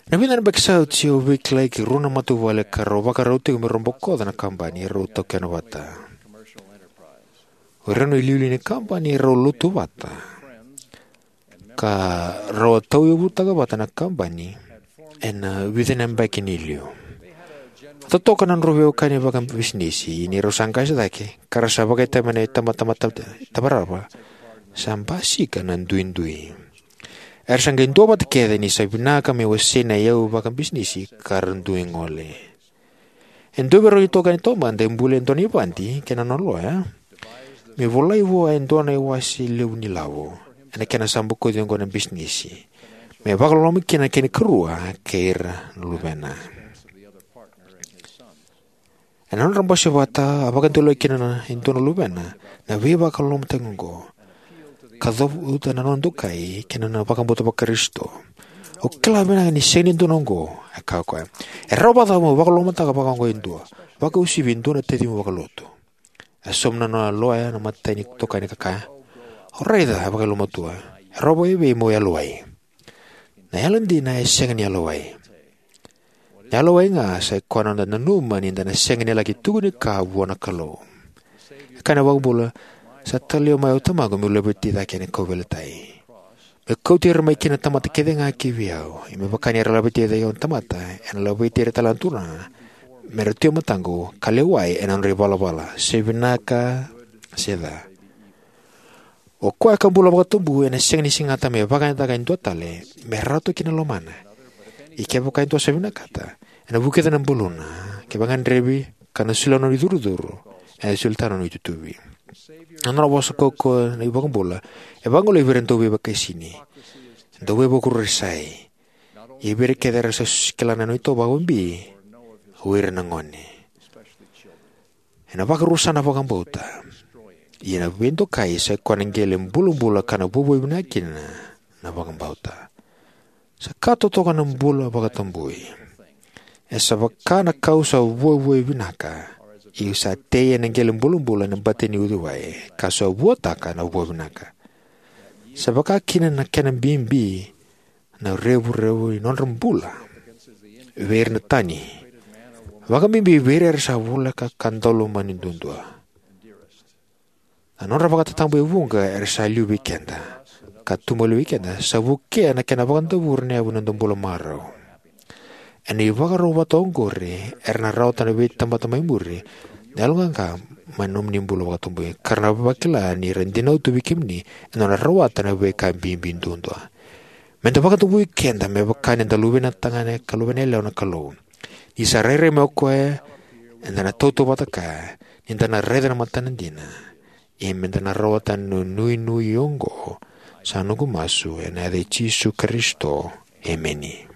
Na vica na yabaki sa oti au veikilai ki rua na matavuvale ka rau vakarau tiko me rau bokoca na kabani e rau taukena vata. O ira na iliuliu ni kabani e rau lotu vata, ka rau a tauyavutaka vata na kabani ena vica na yabaki ni liu. A totoka na nodrau veiwekani vakabisinisi ni rau sa qase cake ka ra sa vakaitavi mai na itabatamata tavarava, sa basika na duidui. Era sa qai duavata kece ni sa vinaka me wasei na iyau vakabisinisi ka ra dui gole. E dua vei rau na itokani taumada e buli e dua na ivadi kei na nona loya me volai vua e dua na iwase levu ni lavo ena kena sa bokoci oqo na bisinisi, me vakaloloma kina na kena ikarua kei ira na luvena. Ena nodra bose vata, a vakadewalevaki kina e dua na luvena na veivakalolomataki oqo, ka cavuta na nona dokai kei na nona vakabauta Vakarisito. Au kila vinaka ni sega ni dodonu oqo, e kaya o koya. E rawa vakacava mo vakalolomataka vakaoqo e dua, vakauasivi e dua na tacimu vakalotu? E sauma na nona loya na imatai ni itokani ka kaya, au raica e vakayalomatua. E rawa vakaevei mo yalowai? Na yalodina e sega ni yalowai. Na yalowai ga sa ikoya na noda nanuma ni da na sega ni laki tukuni ka vua na Kalou. E kaya na iVakabula, sa talai mai o Tamaqu meu laveti cake na kauveilatai, meu kauti ira mai kina na tamata kece ga ki vei au, ia me vaka ni ra laveti cake na tamata, ena laveti ira tale na Turaga, me ra tu e mataqu ka lewai ena nodra ivalavala, se vinaka se ca. O koya ka bula vakatabui ena sega ni segata me vakayagataka e dua tale me rawata kina na lomana. Ia kevaka e dua sa vinakata, ena vukica na buluna, ka vakagadrevi, ka na solia na nona icurucuru, ena solia tale na nona itutuvi. Na nona vosa kaukauwa na iVakabula e vagolei vei ira na dauveivakaisini, dauveivakurisai, Ia vei ira kece era sa kila na noda itovo vakabibi, o ira na gone. Ena vakarusa na vakabauta. Ia na veidokai sa i koya na qele bulabula ka na vuavuai vinaka kina na vakabauta. Sa ka totoka na bula vakatabui. E sa vaka na kau sa vuavuai vinaka, ia sa tei ena qele bulabula ena bati ni uciwai, ka sa vuataka na vua vinaka. Sa vaka kina na kena bibi na revurevu ni nodra bula vei ira na tani, vakabibi vei ira era sa voleka ka daulomani duadua. Na nodra vakatatabu e vuqa era sa liu vei keda, ka tu maliwai keda, sa vukea na kena vakadavori na yavu ni noda bula marau. Ena ivakarau vata oqori, era na rawata na veitamata mai muri na yaloqaqa mai na nomuni bula vakatabui, ka ra na vakila ni ra dinau tu vei kemuni ena nodra rawata na veika bibi duadua. Meda vakadavui keda me vaka ni da luvena tagane ka luvena yalewa na Kalou. Ni sa rairai mai o koya, eda na tautauvata kaya, ni da na raica na matana dina. Ia meda na rawata na nuinui oqo, sa noqu masu ena yaca i Jisu Karisito. Emeni.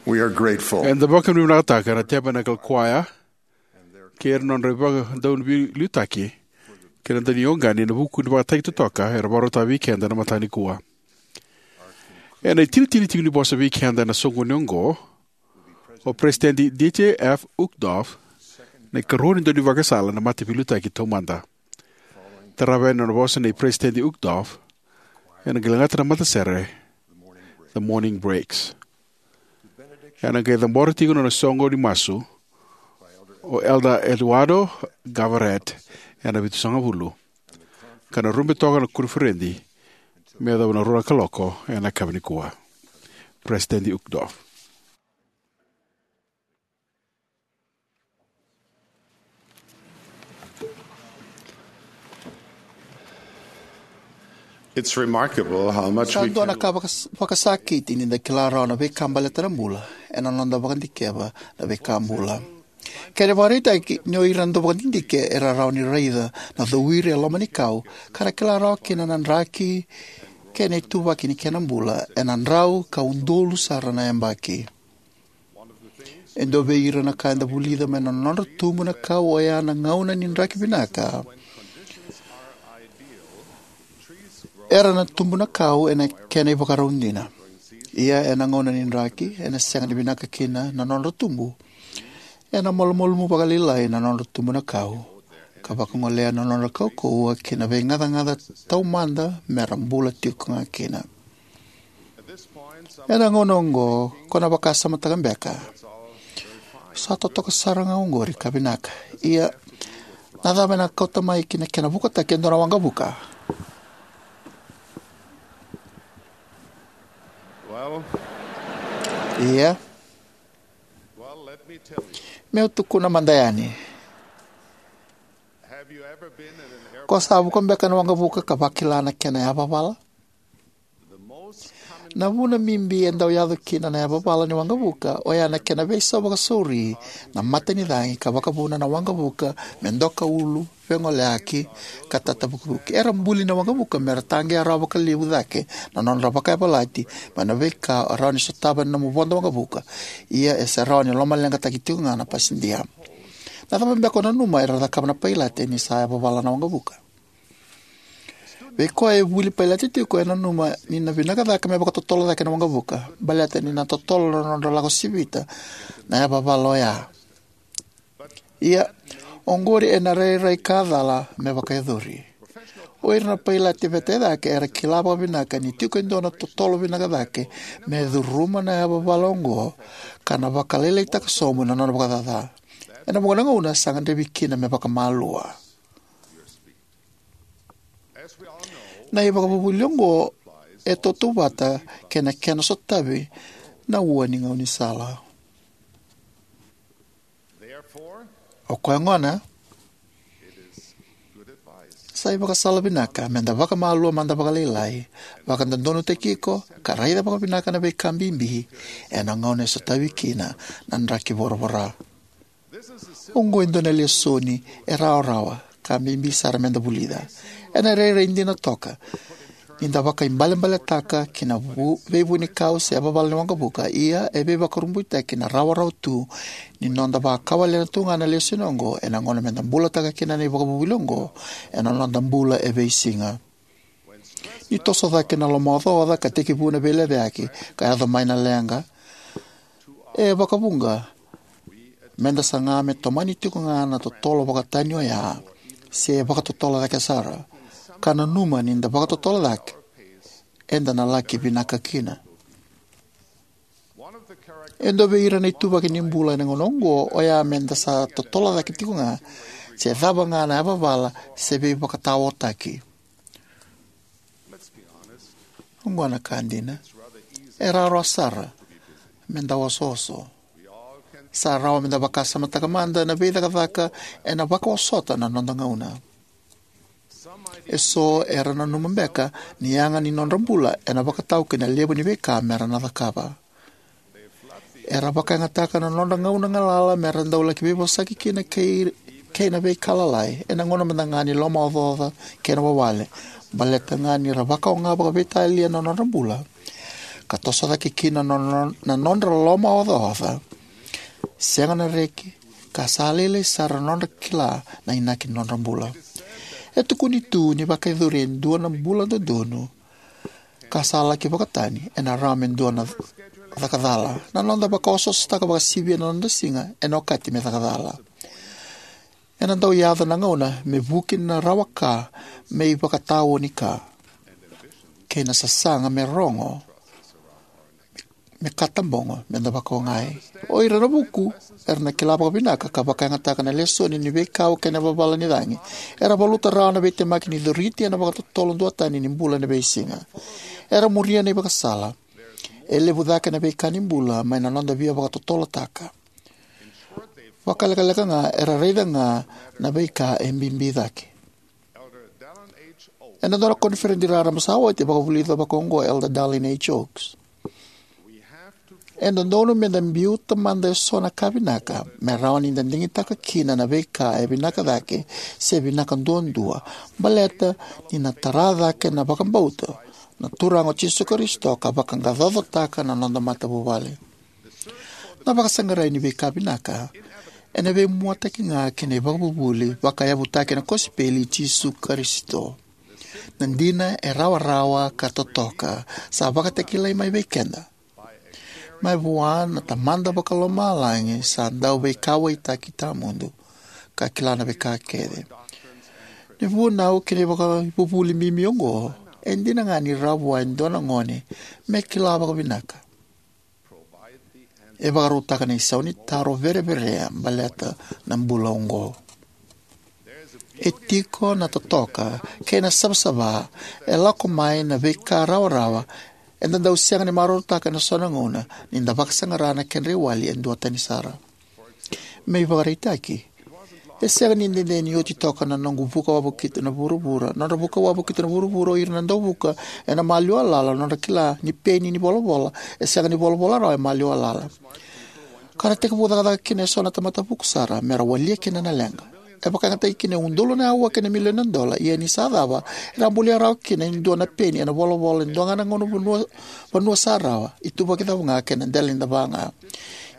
We are grateful. Eda vakavinavinakataka na Tabernacle Choir kei ira na nodra vakadauniviliutaki kei na daunioqani ena vuku ni vakataki totoka era vakarautaka vei keda ena mataka nikua. Ena itinitini tiko ni vosa vei keda ena soqoni oqo, o Peresitedi Dieter F. Uchtdorf, na ikarua ni daunivakasala ena Mataveiliutaki Taumada. Tarava yani na nona vosa nei Peresitedi Uchtdorf, ena qai lagata na matasere The Morning Breaks. Ena qai cabora tiko na nona soqo ni masu o Elder Eduardo Gavaret ena vitusagavulu, ka na rube toka na koniferedi me yacova na rua na kaloko ena yakavi nikua. Peresitedi Uchtdorf. It's remarkable how much Sa we dua na can ka vakas- vakasakiti ni da kila rawa na veika baleta na bula ena noda vakadikeva na veika bula. Kena ivakaraitaki, ni o ira na dauvakadidike era rawa ni raica na cowiri e loma ni kau ka ra kila rawa kina na draki kei na ituvaki ni kena bula ena drau ka udolu sara na yabaki. E dua vei ira na ka eda vulica mai na nodra tubu na kau oya na gauna ni draki vinaka. Era na tubu na kau ena kena ivakarau dina. Ia ena gauna ni draki ena sega ni vinaka kina na nodra tubu. Ena malumalumu vakalailai na nodra tubu na kau ka vakagolea na nodra kaukauwa ki na veigacagaca taumada me ra bula tiko ga kina. Ena gauna oqo ko na vakasamataka beka, sa totoka sara ga oqori ka vinaka. Ia, na cava ena kauta mai ki na kena vukataki e dua na waqavuka? Well, Ia, well, let me tell you. Meu tukuna mada yani. Have you ever been at an airport? Ko sa vuka beka na waqavuka ka vakila na kena yavavala? Na vuna bibi e dau yaco kina na yavavala ni waqavuka oya na kena veisau vakasauri na matanicagi ka vakavuna na waqavuka me doka ulu, vegoleyaki, ka tatavukivuki. Era buli na waqavuka me ra taqeya rawa vakalevu cake na nodra vakayavalati mai na veika o rawa ni sotava ena nomu vodo waqavuka. Ia e se rawa ni lomaleqataki tiko ga na pasidia. Na cava beka o nanuma era cakava na pailate ni sa yavavala na waqavuka? Vei koya e vuli pailate tiko e nanuma ni na vinaka cake me vakatotolo cake na waqavuka baleta ni na totolo na nodra lako sivita na yavavala oya. Ia, oqori ena rairai ka cala me vakayacori. O ira na pailate veta e cake era kila vakavinaka ni tiko e dua na totolo vinaka cake me curuma na yavavala oqo ka na vakalailaitaka sobu na nona vakacaca. Ena vuqa na gauna sa gadrevi kina me vakamalua. Na ivakavuvuli oqo e tautauvata kei na kena sotavi na ua ni gaunisala. O koya gona, sa ivakasala vinaka me da vakamalua mada vakalailai, vakadodonutaki iko, ka raica vakavinaka na veika bibi ena gauna e sotavi kina na draki voravora. Oqo e dua na lesoni e rawarawa ka bibi sara me da vulica. Ena rairai dina toka ni da vakaibalebaletaka ki na vu, veivunikau se yavavala ni waqavuka, ia e veivakurabuitaki na rawarawa tu ni noda vakawalena tu ga na lesoni oqo ena gauna me da bulataka kina na ivakavuvuli oqo ena noda bula e veisiga. Ni toso cake na lomaocaoca ka tekivu na veilecayaki ka yaco mai na leqa, e vakavuqa me da saga me tomani tiko ga na totolo vakatani oya, se vakatotolo cake sara, ka nanuma ni da vakatotolo cake eda na laki vinaka kina. E dua vei ira na ituvaki ni bula ena gauna oqo oya me da sa totolo cake tiko ga, se cava ga na yavavala se veivakataotaki. Oqo na ka dina. E rawarawa sara me da osooso. Sa rawa me da vakasamataka mada na veicakacaka ena vakaosota na noda gauna. Eso era nanuma beka ni yaga ni nodra bula ena vakatau ki na levu ni veika me ra na cakava. Era vakayagataka na nodra gauna galala me ra dau laki veivosaki kina kei, kei na veika lalai, ena gauna mada ga ni lomaocaoca kei na wawale, baleta ga ni ra vakaoga vakaveitalia na nodra bula. ka toso cake kina na nodra lomaocaoca, sega na reki, ka sa lailai sara na nodra kila na inaki ni nodra bula. E tukuni tu ni vakayacori e dua na bula dodonu ka sa laki vakatani, ena rawa me dua na caka cala. Na noda vakaosoosotaka vakasivia na noda siga ena okati me caka cala. Ena dau yaco na gauna me vuki na rawa ka me ivakataoni ka, kei na sasaga me rogo, me katabogo me da vakaogai. O ira na vuku era na kila vakavinaka ka vakayagataka na lesoni ni veikau kei na vavala ni cagi. Era valuta rawa na veitemaki ni coriti ena vakatotolo duatani ni bula ena veisiga. Era muria na ivakasala. E levu cake na veika ni bula mai na noda via vakatotolotaka. Vakalekaleka ga era raica ga na veika e bibi cake. Ena dua na koniferedi raraba sa oti, e vakavulica vakaoqo o Elder Dallin H. Oaks: E dodonu me da biuta mada eso na ka vinaka me rawa ni da digitaka kina na veika e vinaka cake se vinaka duadua, baleta ni na tara cake na vakabauta na Turaga o Jisu Karisito ka vaqaqacotaka na noda matavuvale. Na vakasaqarai ni veika vinaka ena veimuataki ga ki na ivakavuvuli vakayavutaki ena kosipeli i Jisu Karisito. Na dina e rawarawa ka totoka sa vakatakilai mai vei keda mai vua na Tamada Vakalomalagi sa Dauveikauwaitaki tawamudu, ka kila na veika kece. Na vunau ki na ivakavuvuli bibi oqo e dina ga ni rawa vua e dua na gone me kila vakavinaka. E vakarautaka na isau ni taro vereverea baleta na bula oqo. E tiko na totoka kei na savasava e lako mai na veika rawarawa eda dau sega ni marautaka ena so na gauna ni da vakasaqara na kedra iwali e duatani sara. Me ivakaraitaki, e sega ni dede ni oti toka na noqu vuka wavokita na vuravura. Nodra vuka wavokita na vuravura o ira na dauvuka ena maliwa lala, nodra kila ni peni ni volavola e sega ni volavola rawa e maliwa lala, ka ra tekivu cakacaka kina eso na tamata vuku sara me ra walia kina na leqa. E vakayagataki kina e udolu na aua kei na milioni na dola, ia ni sa cava, era a bulia rawa kina e dua na peni ena volavola e dua ga na gauna vanua, vanua sa rawa, ituvaki cava ga kei na dela ni dava ga.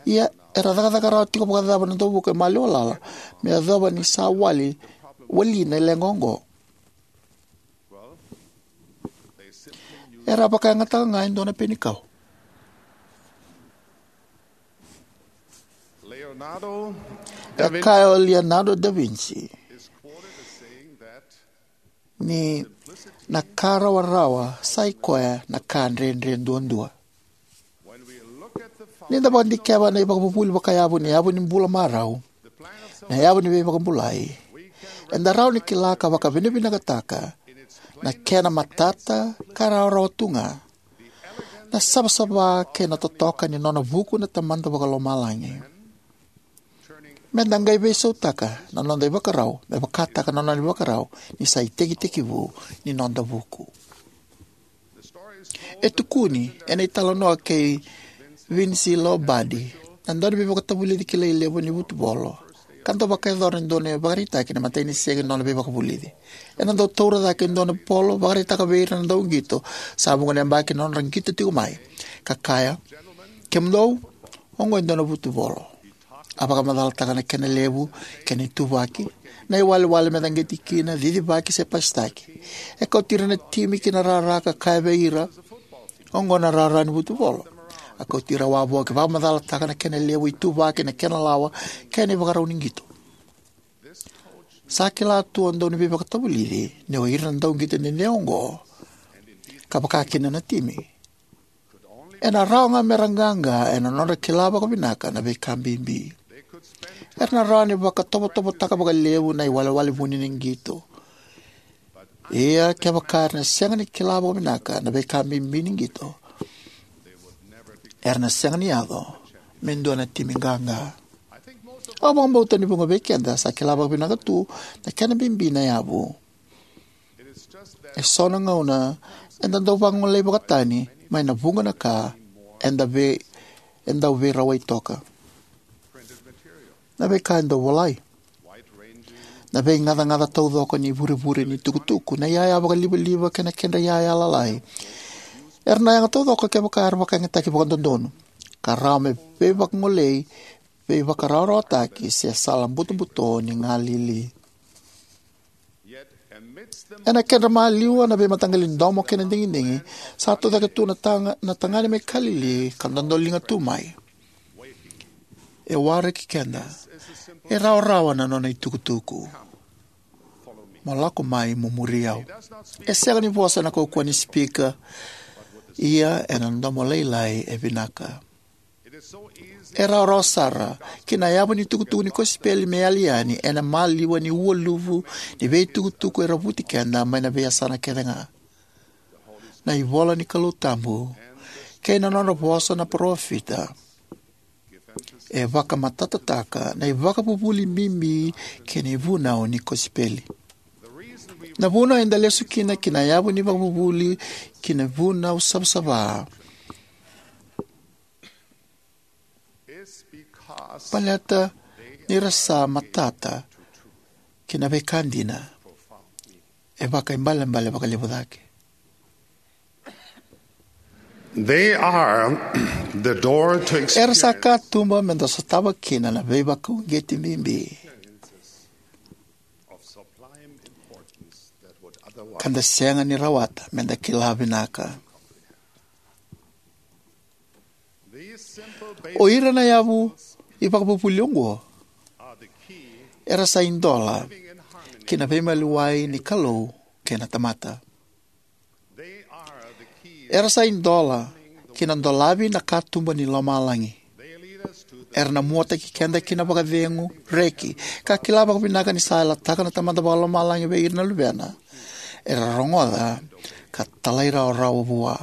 Ia era cakacaka rawa tiko vakacava na dauvuka e maliwa lala me yacova ni sa wali, wali na leqa oqo? Era vakayagataka ga e dua na peni kau. E kaya o Leonardo da Vinci ni na ka rawarawa sa i koya na ka dredre duadua. Ni da vakadikeva na ivakavuvuli vakayavu ni yavu ni bula marau, na yavu ni veivakabulai, eda rawa ni kila ka vakavinavinakataka na kena matata ka rawarawa tu ga, na savasava kei na totoka ni nona vuku na Tamada Vakalomalagi. Me da qai veisautaka na noda ivakarau me vakataka na nona ivakarau ni sa itekitekivu ni noda vuku. E tukuni ena italanoa kei Vince Lombardi na dauniveivakatavulici kilai levu ni vutuvolo, ka dau vakayacora e dua na ivakaraitaki na imatai ni siga ni nona veivakavulici. Ena dau taura cake e dua na polo, vakaraitaka vei ira na dauqito sa vuqa na yabaki na nodra qito tiko mai, ka kaya: "Kemudou, oqo e dua na vutuvolo." A vakamacalataka na kena levu, kena ituvaki, na iwalewale me caqeti kina, cicivaki se pasitaki. E kauti ira na timi ki na rara ka kaya vei ira: "Oqo na rara ni vutuvolo." A kauti ira wavoki, vakamacalataka na kena levu, ituvaki, na kena lawa, kei na ivakarau ni qito. Sa kila tu o dauniveivakatavulici ni o ira na dauqito dede oqo, ka vakakina na timi, ena rawa ga me ra qaqa ena nodra kila vakavinaka na veika bibi. Era na rawa ni vakatovotovotaka vakalevu na iwalewale vuni ni qito. Ia kevaka era na sega ni kila vakavinaka na veika bibi ni qito, era na sega ni yaco me dua na timi qaqa. Au vakabauta ni vuqa vei keda sa kila vakavinaka tu na kena bibi na yavu. E so na gauna eda dau vagolei vakatani mai na vuqa na ka eda vei, eda dau veirawai toka. Na veika e dau volai, na veigacagaca taucoko ni vurevure ni tukutuku, na iyaya vakalivaliva kei na kedra iyaya lalai, Era na yaga taucoko kevaka era vakayagataki vakadodonu, ka rawa me veivakagolei, veivakarawarawataki, se sala butobuto ni galili. Ena kedra maliwa na veimataqali domo kei na digidigi, sa tucake tu na taga-, na tagane mai Kalili ka dodoliga tu mai. E waraki keda. E rawarawa na nona itukutuku. Mo lako mai mo muri au. E sega ni vosa ena kaukauwa ni sipika, ia ena domo lailai e vinaka. E rawarawa sara ki na yavu ni tukutuku ni kosipeli me yali yani ena maliwa ni ualuvu ni veitukutuku era vuti keda mai na veiyasana kece ga. Na ivola ni Kalou tabu kei na nodra vosa na parofita e vakamatatataka na ivakavuvuli bibi kei na ivunau ni kosipeli. Na vuna eda lesu kina ki na yavu ni vakavuvuli ki na vunau savasava, baleta ni ra sa matata ki na veika dina e vakaibalebale vakalevu cake. They are the door to experience. Era sa katuba me da sotava kina na veivakauqeti bibi ka da sega ni rawata me da kila vinaka. O ira na yavu ivakavuvuli oqo era sa idola ki na veimaliwai ni Kalou kei na tamata. Era sa idola ki na dolavi na katuba ni lomalagi. Era na muataki keda ki na vakacegu, reki, ka kila vakavinaka ni sa yalataka na Tamada Vakalomalagi vei ira na luvena era rogoca ka talairawarawa vua.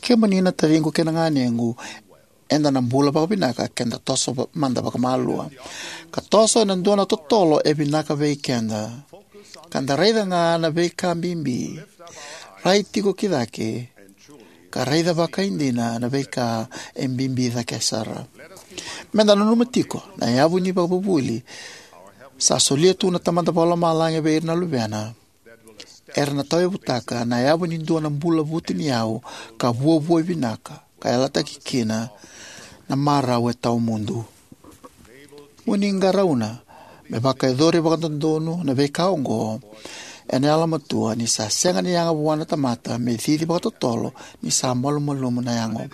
Kemuni na taciqu kei na ganequ, eda na bula vakavinaka ke da toso va-, mada vakamalua ka toso ena dua na totolo e vinaka vei keda, ka da raica ga na veika bibi, rai tiko ki cake, ka raica vakaidina na veika e bibi cake sara. Me da nanuma tiko na yavu ni vakavuvuli sa solia tu na Tamada Vakalomalagi vei ira na luvena era na tauyavutaka na yavu ni dua na bula vutuniyau ka vuavuai vinaka, ka yalataki kina na marau e tawamudu. Mo ni qarauna me vakayacori vakadodonu na veika oqo ena yalomatua, ni sa sega ni yaga vua na tamata me cici vakatotolo ni sa malumalumu na yago.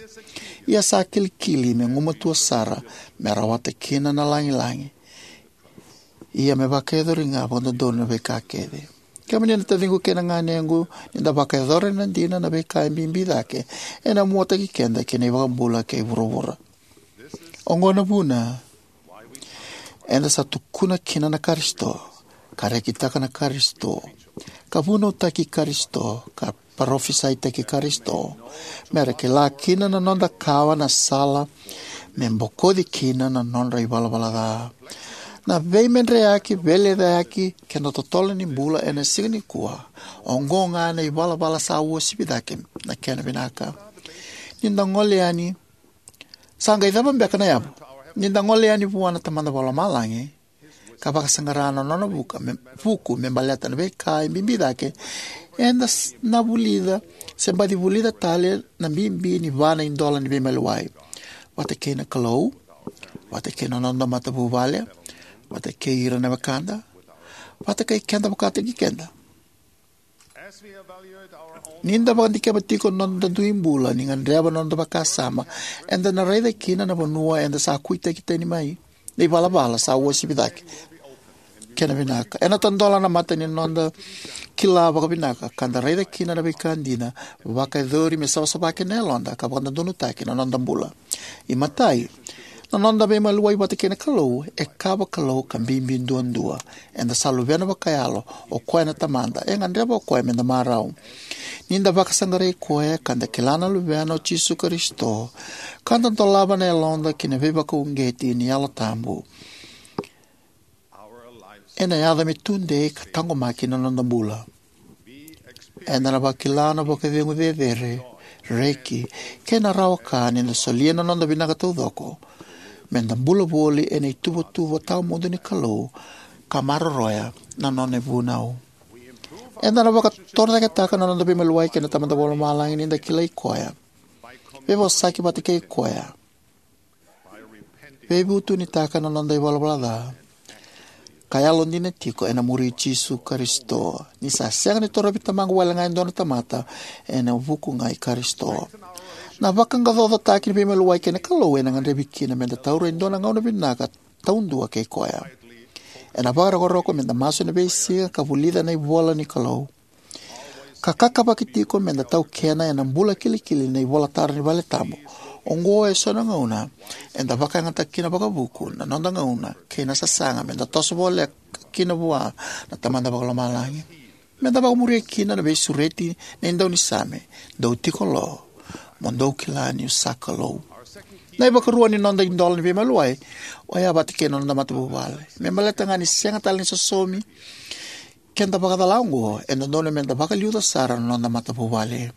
Ia sa kilikili me gumatua sara me rawata kina na lagilagi. Ia me vakayacori ga vakadodonu na veika kece. Kemuni na taciqu kei na ganequ, ni da vakayacora na dina na veika e bibi cake, ena muataki keda ki na iVakabula kei vuravura. Oqo na vuna eda sa tukuna kina na Karisito, ka rekitaka na Karisito, ka vunautaki Karisito, ka parofisaitaki Karisito, me ra kila kina na noda kawa na sala me bokoci kina na nodra ivalavala ca. Na veimedreyaki, veilecayaki kei na totolo ni bula ena siga nikua, oqo ga na ivalavala sa uasivi cake na kena vinaka. Ni da gole yani, sa qai cava beka na yavu? Ni da gole yani vua na Tamada Vakalomalagi ka vakasaqara na nona vuka me, vuku me baleta na veika e bibi cake, eda s-, na vulica se baci vulica tale na bibi ni va na idola ni veimaliwai, vata kei na Kalou, vata kei na noda matavuvale, vata kei ira na wekada, vata kei keda vakataki keda. Ni da vakadikeva tiko na noda dui bula, ni gadreva na noda vakasama, eda na raica kina na vanua eda sa kuitaki tani mai, na ivalavala sa uasivi cake. Kena vinaka, ena tadola na mata ni noda kila vakavinaka ka da raica kina na veika dina, vakayacori me savasava kina na yaloda ka vakadodonutaki na noda bula. Imatai, na noda veimaliwai vata kei na Kalou e ka vakalou ka bibi duadua. Eda sa luvena vakayalo, o koya na Tamada, e gadreva o koya me da marau. Ni da vakasaqarai koya ka da kila na Luvena o Jisu Karisito, ka da dolava na yaloda ki na veivakauqeti ni Yalo Tabu, ena yaco me tudei ka taqomaki na noda bula. Eda na vakila na vakacegu cecere, reki, kei na rawa ka ni da solia na noda vinaka taucoko me da bula voli ena ituvatuva tawamudu ni Kalou ka maroroya na nona ivunau. Eda na vakatorocaketaka na noda veimaliwai kei na Tamada Vakalomalagi ni da kilai Koya, veivosaki vata kei Koya, veivutunitaka na noda ivalavala ca, ka yalodina tiko ena muri Jisu Karisito. Ni sa sega ni torovi Tamaqu walega e dua na tamata, ena vuku ga i Karisito. Na vaqaqacotaki ni veimaliwai kei na Kalou ena gadrevi kina meda taura e dua na gauna vinaka taudua kei Koya. Ena vakarokoroko meda masu ena veisiga ka vulica na ivola ni Kalou, ka kakavaki tiko meda taukena ena bula kilikili na ivolatara ni valetabu. Oqo eso na gauna eda vakayagataka kina vakavuku na noda gauna kei na sasaga meda toso voleka kina vua na Tamada Vakalomalagi. Meda vakamuria kina na veisureti nei Daunisame: Dou tiko lo, mo dou kila niu sa Kalou. Na ivakarua ni noda idola ni veimaliwai o ya vata kei na noda matavuvale. Me baleta ga ni sega tale ni sosomi keda vakacala oqo, e dodonu meda vakaliuca sara na noda matavuvale.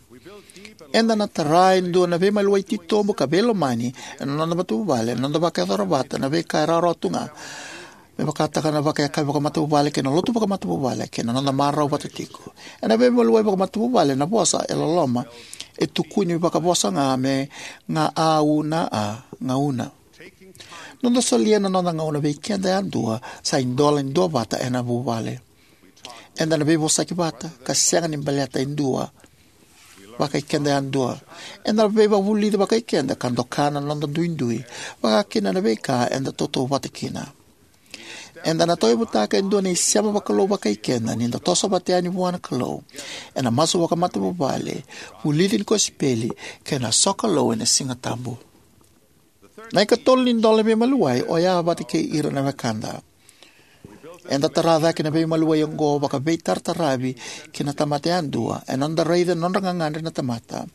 Eda na tara e dua na veimaliwai titobu ka veilomani ena noda matavuvale ena noda vakayacora vata na veika e rawarawa tu ga, me vakataka na vakayakavi vakamatavuvale kei na lotu vakamatavuvale kei na noda marau vata tiko. Ena veimaliwai vakamatavuvale, na vosa e loloma e tukuni vakavosa ga me ga au na a gauna. Noda solia na noda gauna vei keda yadua sa idola ni duavata ena vuvale. Eda na veivosaki vata ka sega ni baleta e dua vakai keda yadua. Eda na veivakavulici vakai keda ka doka na noda duidui, vaka kina na veika eda tautauvata kina. Eda na tauyavutaka e dua na isema vakalou vakai keda ni da toso vata yani vua na Kalou ena masu vakamatavuvale, vulici ni kosipeli, kei na sokalou ena Siga Tabu. Na ikatolu ni idola ni veimaliwai o ya vata kei ira na wekada. Eda tara cake na veimaliwai oqo vakaveitarataravi ki na tamata yadua ena noda raica na nodra gagadre na tamata,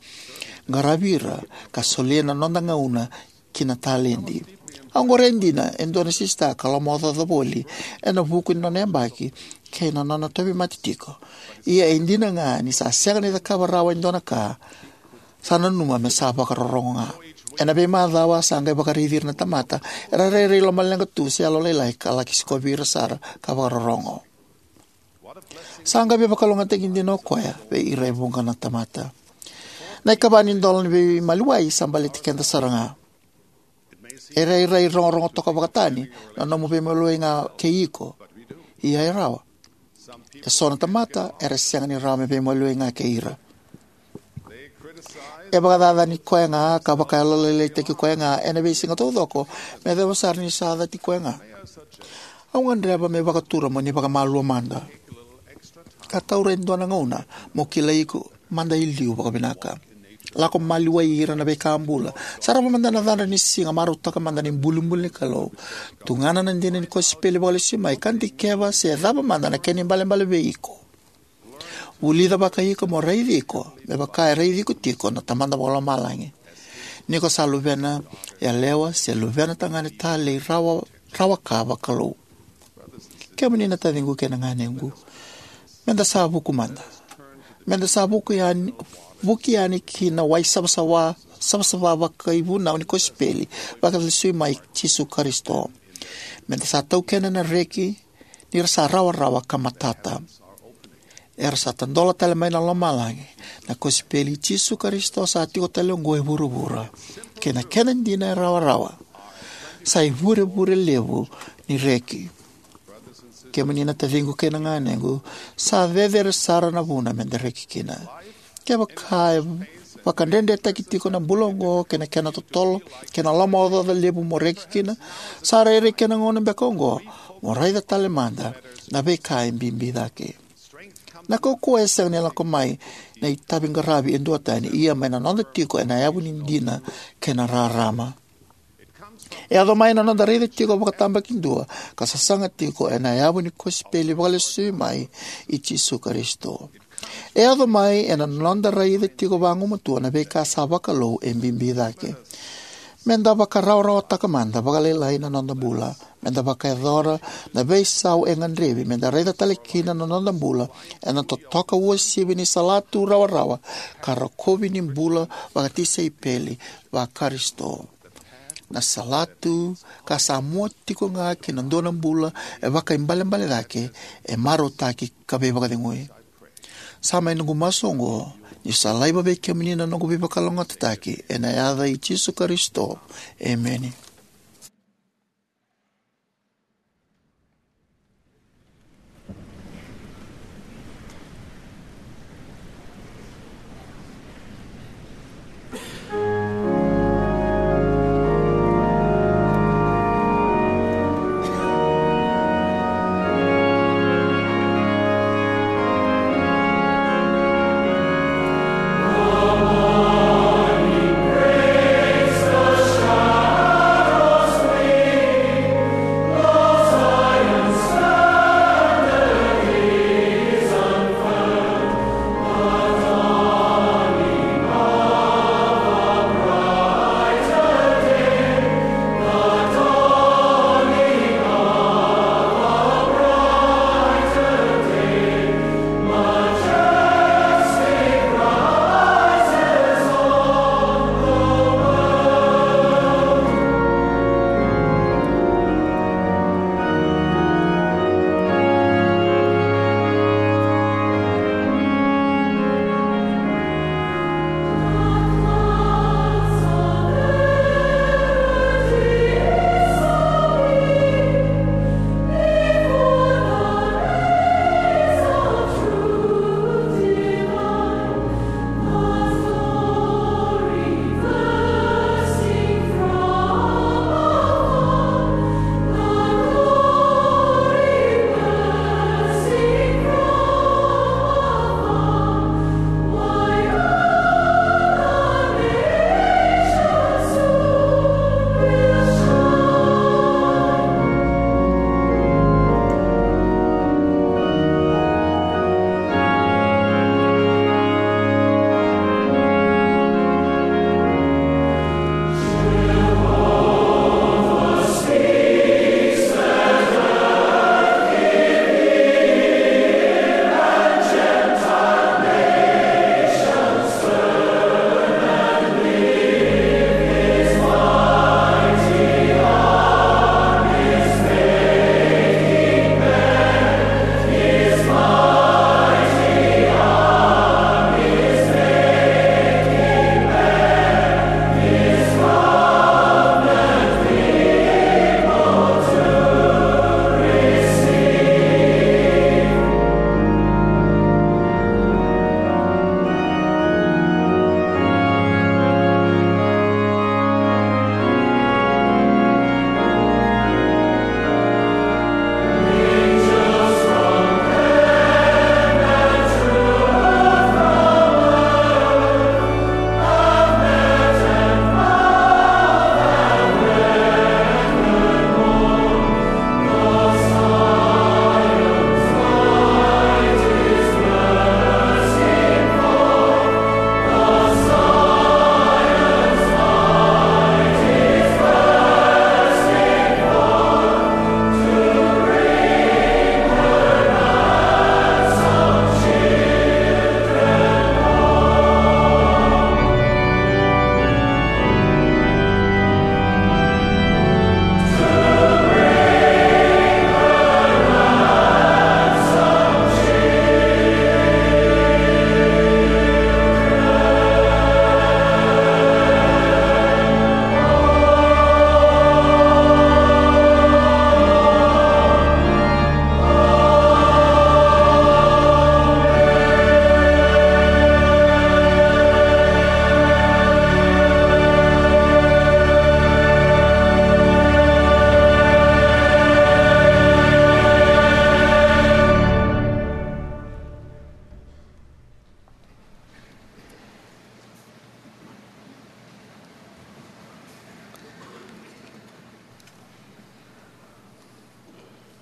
qaravi ira, ka solia na noda gauna kei na taledi. Au qoroya dina e dua na sisita ka lomaocaoca voli ena vuku ni nona yabaki kei na nona tauvimate tiko. Ia e dina ga ni sa sega ni cakava rawa e dua na ka, sa nanuma me sa vakarorogo ga. Ena veimacawa sa qai vakaraici ira na tamata era rairai lomaleqa tu se yalolailai ka laki sikovi ira sara ka vakarorogo. Sa qai veivakalougatataki dina o koya vei ira e vuqa na tamata. Na ikava ni idola ni veimaliwai sa baleti keda sara ga. E rairai rogorogo toka vakatani na nomu veimaliwai ga kei iko. Ia e rawa. Eso na tamata era sega ni rawa me veimaliwai ga kei ira. E vakacacani koya ga ka vakayalolailaitaki koya ga ena veisiga taucoko, me yacova sara ni sa cati koya ga. Au gadreva me vakatura mo ni vakamalua mada ka taura e dua na gauna mo kilai iko mada e liu vakavinaka. Lako maliwai ira na veika bula. Sarava mada na cadra ni siga, marautaka mada na ibulibuli ni Kalou. Tugana na dina ni kosipeli vakalesui mai ka dikeva se cava mada na kena ibalebale vei iko. Vulica vakai iko mo raici iko me vaka e raici iko tiko na Tamada Vakalomalagi, ni ko sa luvena yalewa se luvena tagane talei rawa, rawa ka vakalou. Kemuni na taciqu kei na ganequ, meda sa vuku mada. Meda sa vuku yani, vuki yani ki na wai savasava, savasava vakaivunau ni kosipeli vakalesui mai Jisu Karisito. Meda sa taukena na reki ni ra sa rawarawa ka matata. Era sa tadola tale mai na lomalagi. Na kosipeli i Jisu Karisito sa tiko tale oqo e vuravura, kei na kena dina e rawarawa. Sa ivurevure levu ni reki. Kemuni na taciqu kei na ganequ, sa cecere sara na vuna meda reki kina. Kevaka e vakadredretaki tiko na bula oqo kei na kena totolo kei na lomaocaoca levu mo reki kina, sa rairai kena gauna beka oqo mo raica tale mada na veika e bibi cake. Na kaukauwa e sega ni lako mai na itavi qaravi e duatani, ia mai na noda tiko ena yavu ni dina kei na rarama. E yaco mai na noda raica tiko vakatabakidua ka sasaga tiko ena yavu ni kosipeli vakalesui mai i Jisu Karisito. E yaco mai ena noda raica tiko vagumatua na veika sa vakalou e bibi cake. Meda vakarawarawataka mada vakalailai na noda bula. Meda vakayacora na veisau e gadrevi meda raica tale kina na noda bula ena totoka uasivi ni salatu rawarawa ka rokovi ni bula vakatisaipeli vaKarisito. Na salatu ka sa mua tiko ga ki na dua na bula e vakaibalebale cake, e marautaki ka veivakacegui. Sa mai noqu masu oqo, ni sa laiva vei kemuni na noqu veivakalougatataki, ena yaca i Jisu Karisito. Emeni.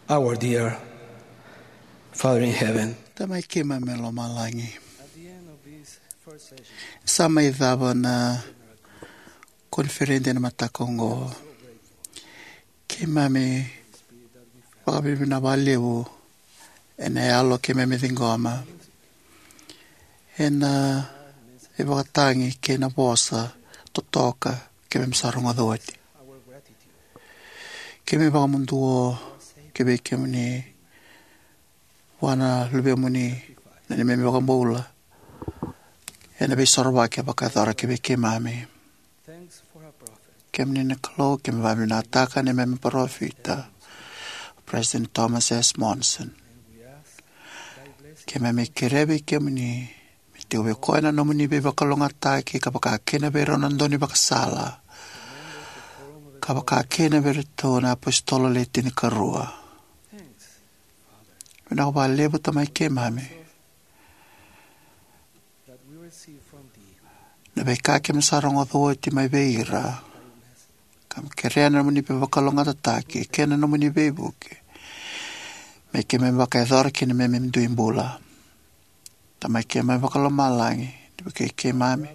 Our dear Father in heaven, Tamai keimami e lomalagi, sa mai cava na koniferedi ena mataka oqo. Keimami vakavinavinaka vakalevu ena yalo keimami ciqoma, ena ivakatagi kei na vosa totoka keimami sa rogoca oti. Keimami vakamuduo ki vei kemuni vua na Luvemuni na neimami iVakabula ena Veisorovaki e vakayacora ki vei keimami. Kemuni na Kalou, keimami vakavinavinakataka na neimami parofita, o President Thomas S. Monson. Keimami kerea vei kemuni me tiko vei koya na nomuni veivakalougatataki, ka vaka kina vei rau na dau ni vakasala, ka vaka kina vei iratou na apositolo le tinikarua. Vinaka vakalevu, Tamai keimami, na veika keimami sa rogoca oti mai vei ira, ka keimami kerea na nomuni veivakalougatataki kei na nomuni veivuke me keimami vakayacora kina na neimami dui bula. Tamai keimami vakalomalagi, ni vukei keimami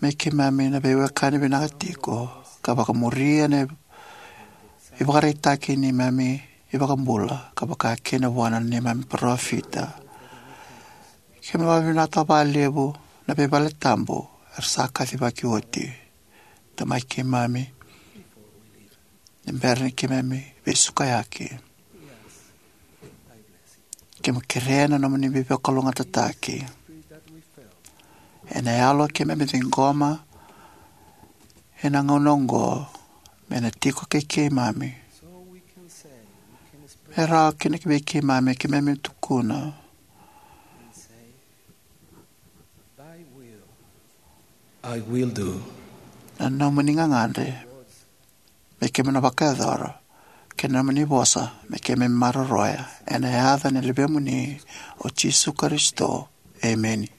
me keimami na veiwekani vinaka tiko, ka vakamuria na ivakaraitaki ni neimami iVakabula, ka vaka kina vua na neimami parofita. Keimami vakavinavinakataka vakalevu na veivaletabu era sa kacivaki oti. Tamai keimami, ni bera ni keimami veisukayaki, keimami kerea na nomuni veivakalougatataki ena yalo keimami ciqoma ena gauna oqo, me na tiko kei keimami, me rawa kina ki vei keimami, keimami tukuna, I will do. Na nomuni gagadre me keimami na vakayacora, kei na nomuni vosa me keimami maroroya, ena yaca ni Luvemuni o Jisu Karisito. Emeni.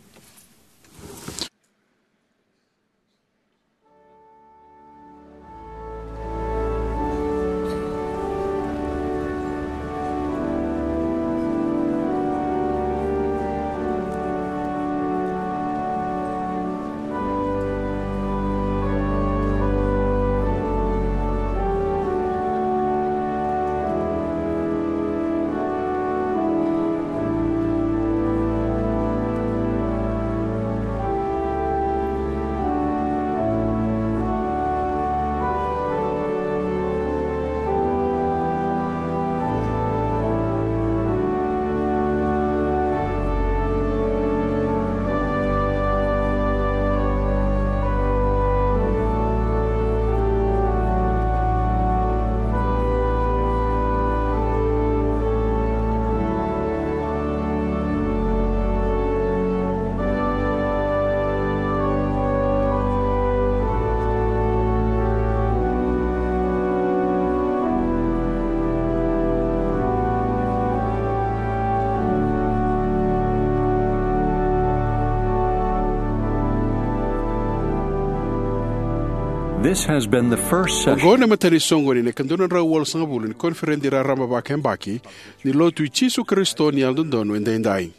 This has been the first session. Oqo na imatai ni soqoni ni ika dua na drau walusagavulu ni koniferedi raraba vakayabaki ni Lotu i Jisu Karisito ni Yalododonu Edaidai.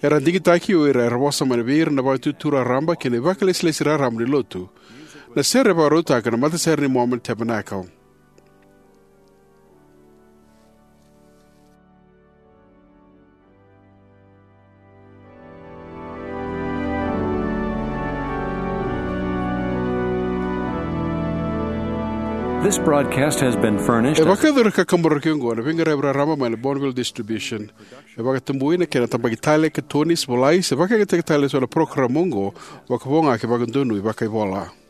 Era digitaki o ira era vosa mai vei ira na Vakaitutu Raraba kei na ivakalesilesi raraba ni Lotu. Na sere e vakarautaka na Matasere ni Mormon Tabernacle. This broadcast has been furnished. E as vakayacori ka kaburaki oqo na veiqaravi raraba mai na Bonneville Distribution. E vakatabui na kena tabaki tale ka Tony Svolai, se vakayagataki tale eso na parokaramu oqo, vakavoga kei vakadonui vakaivola.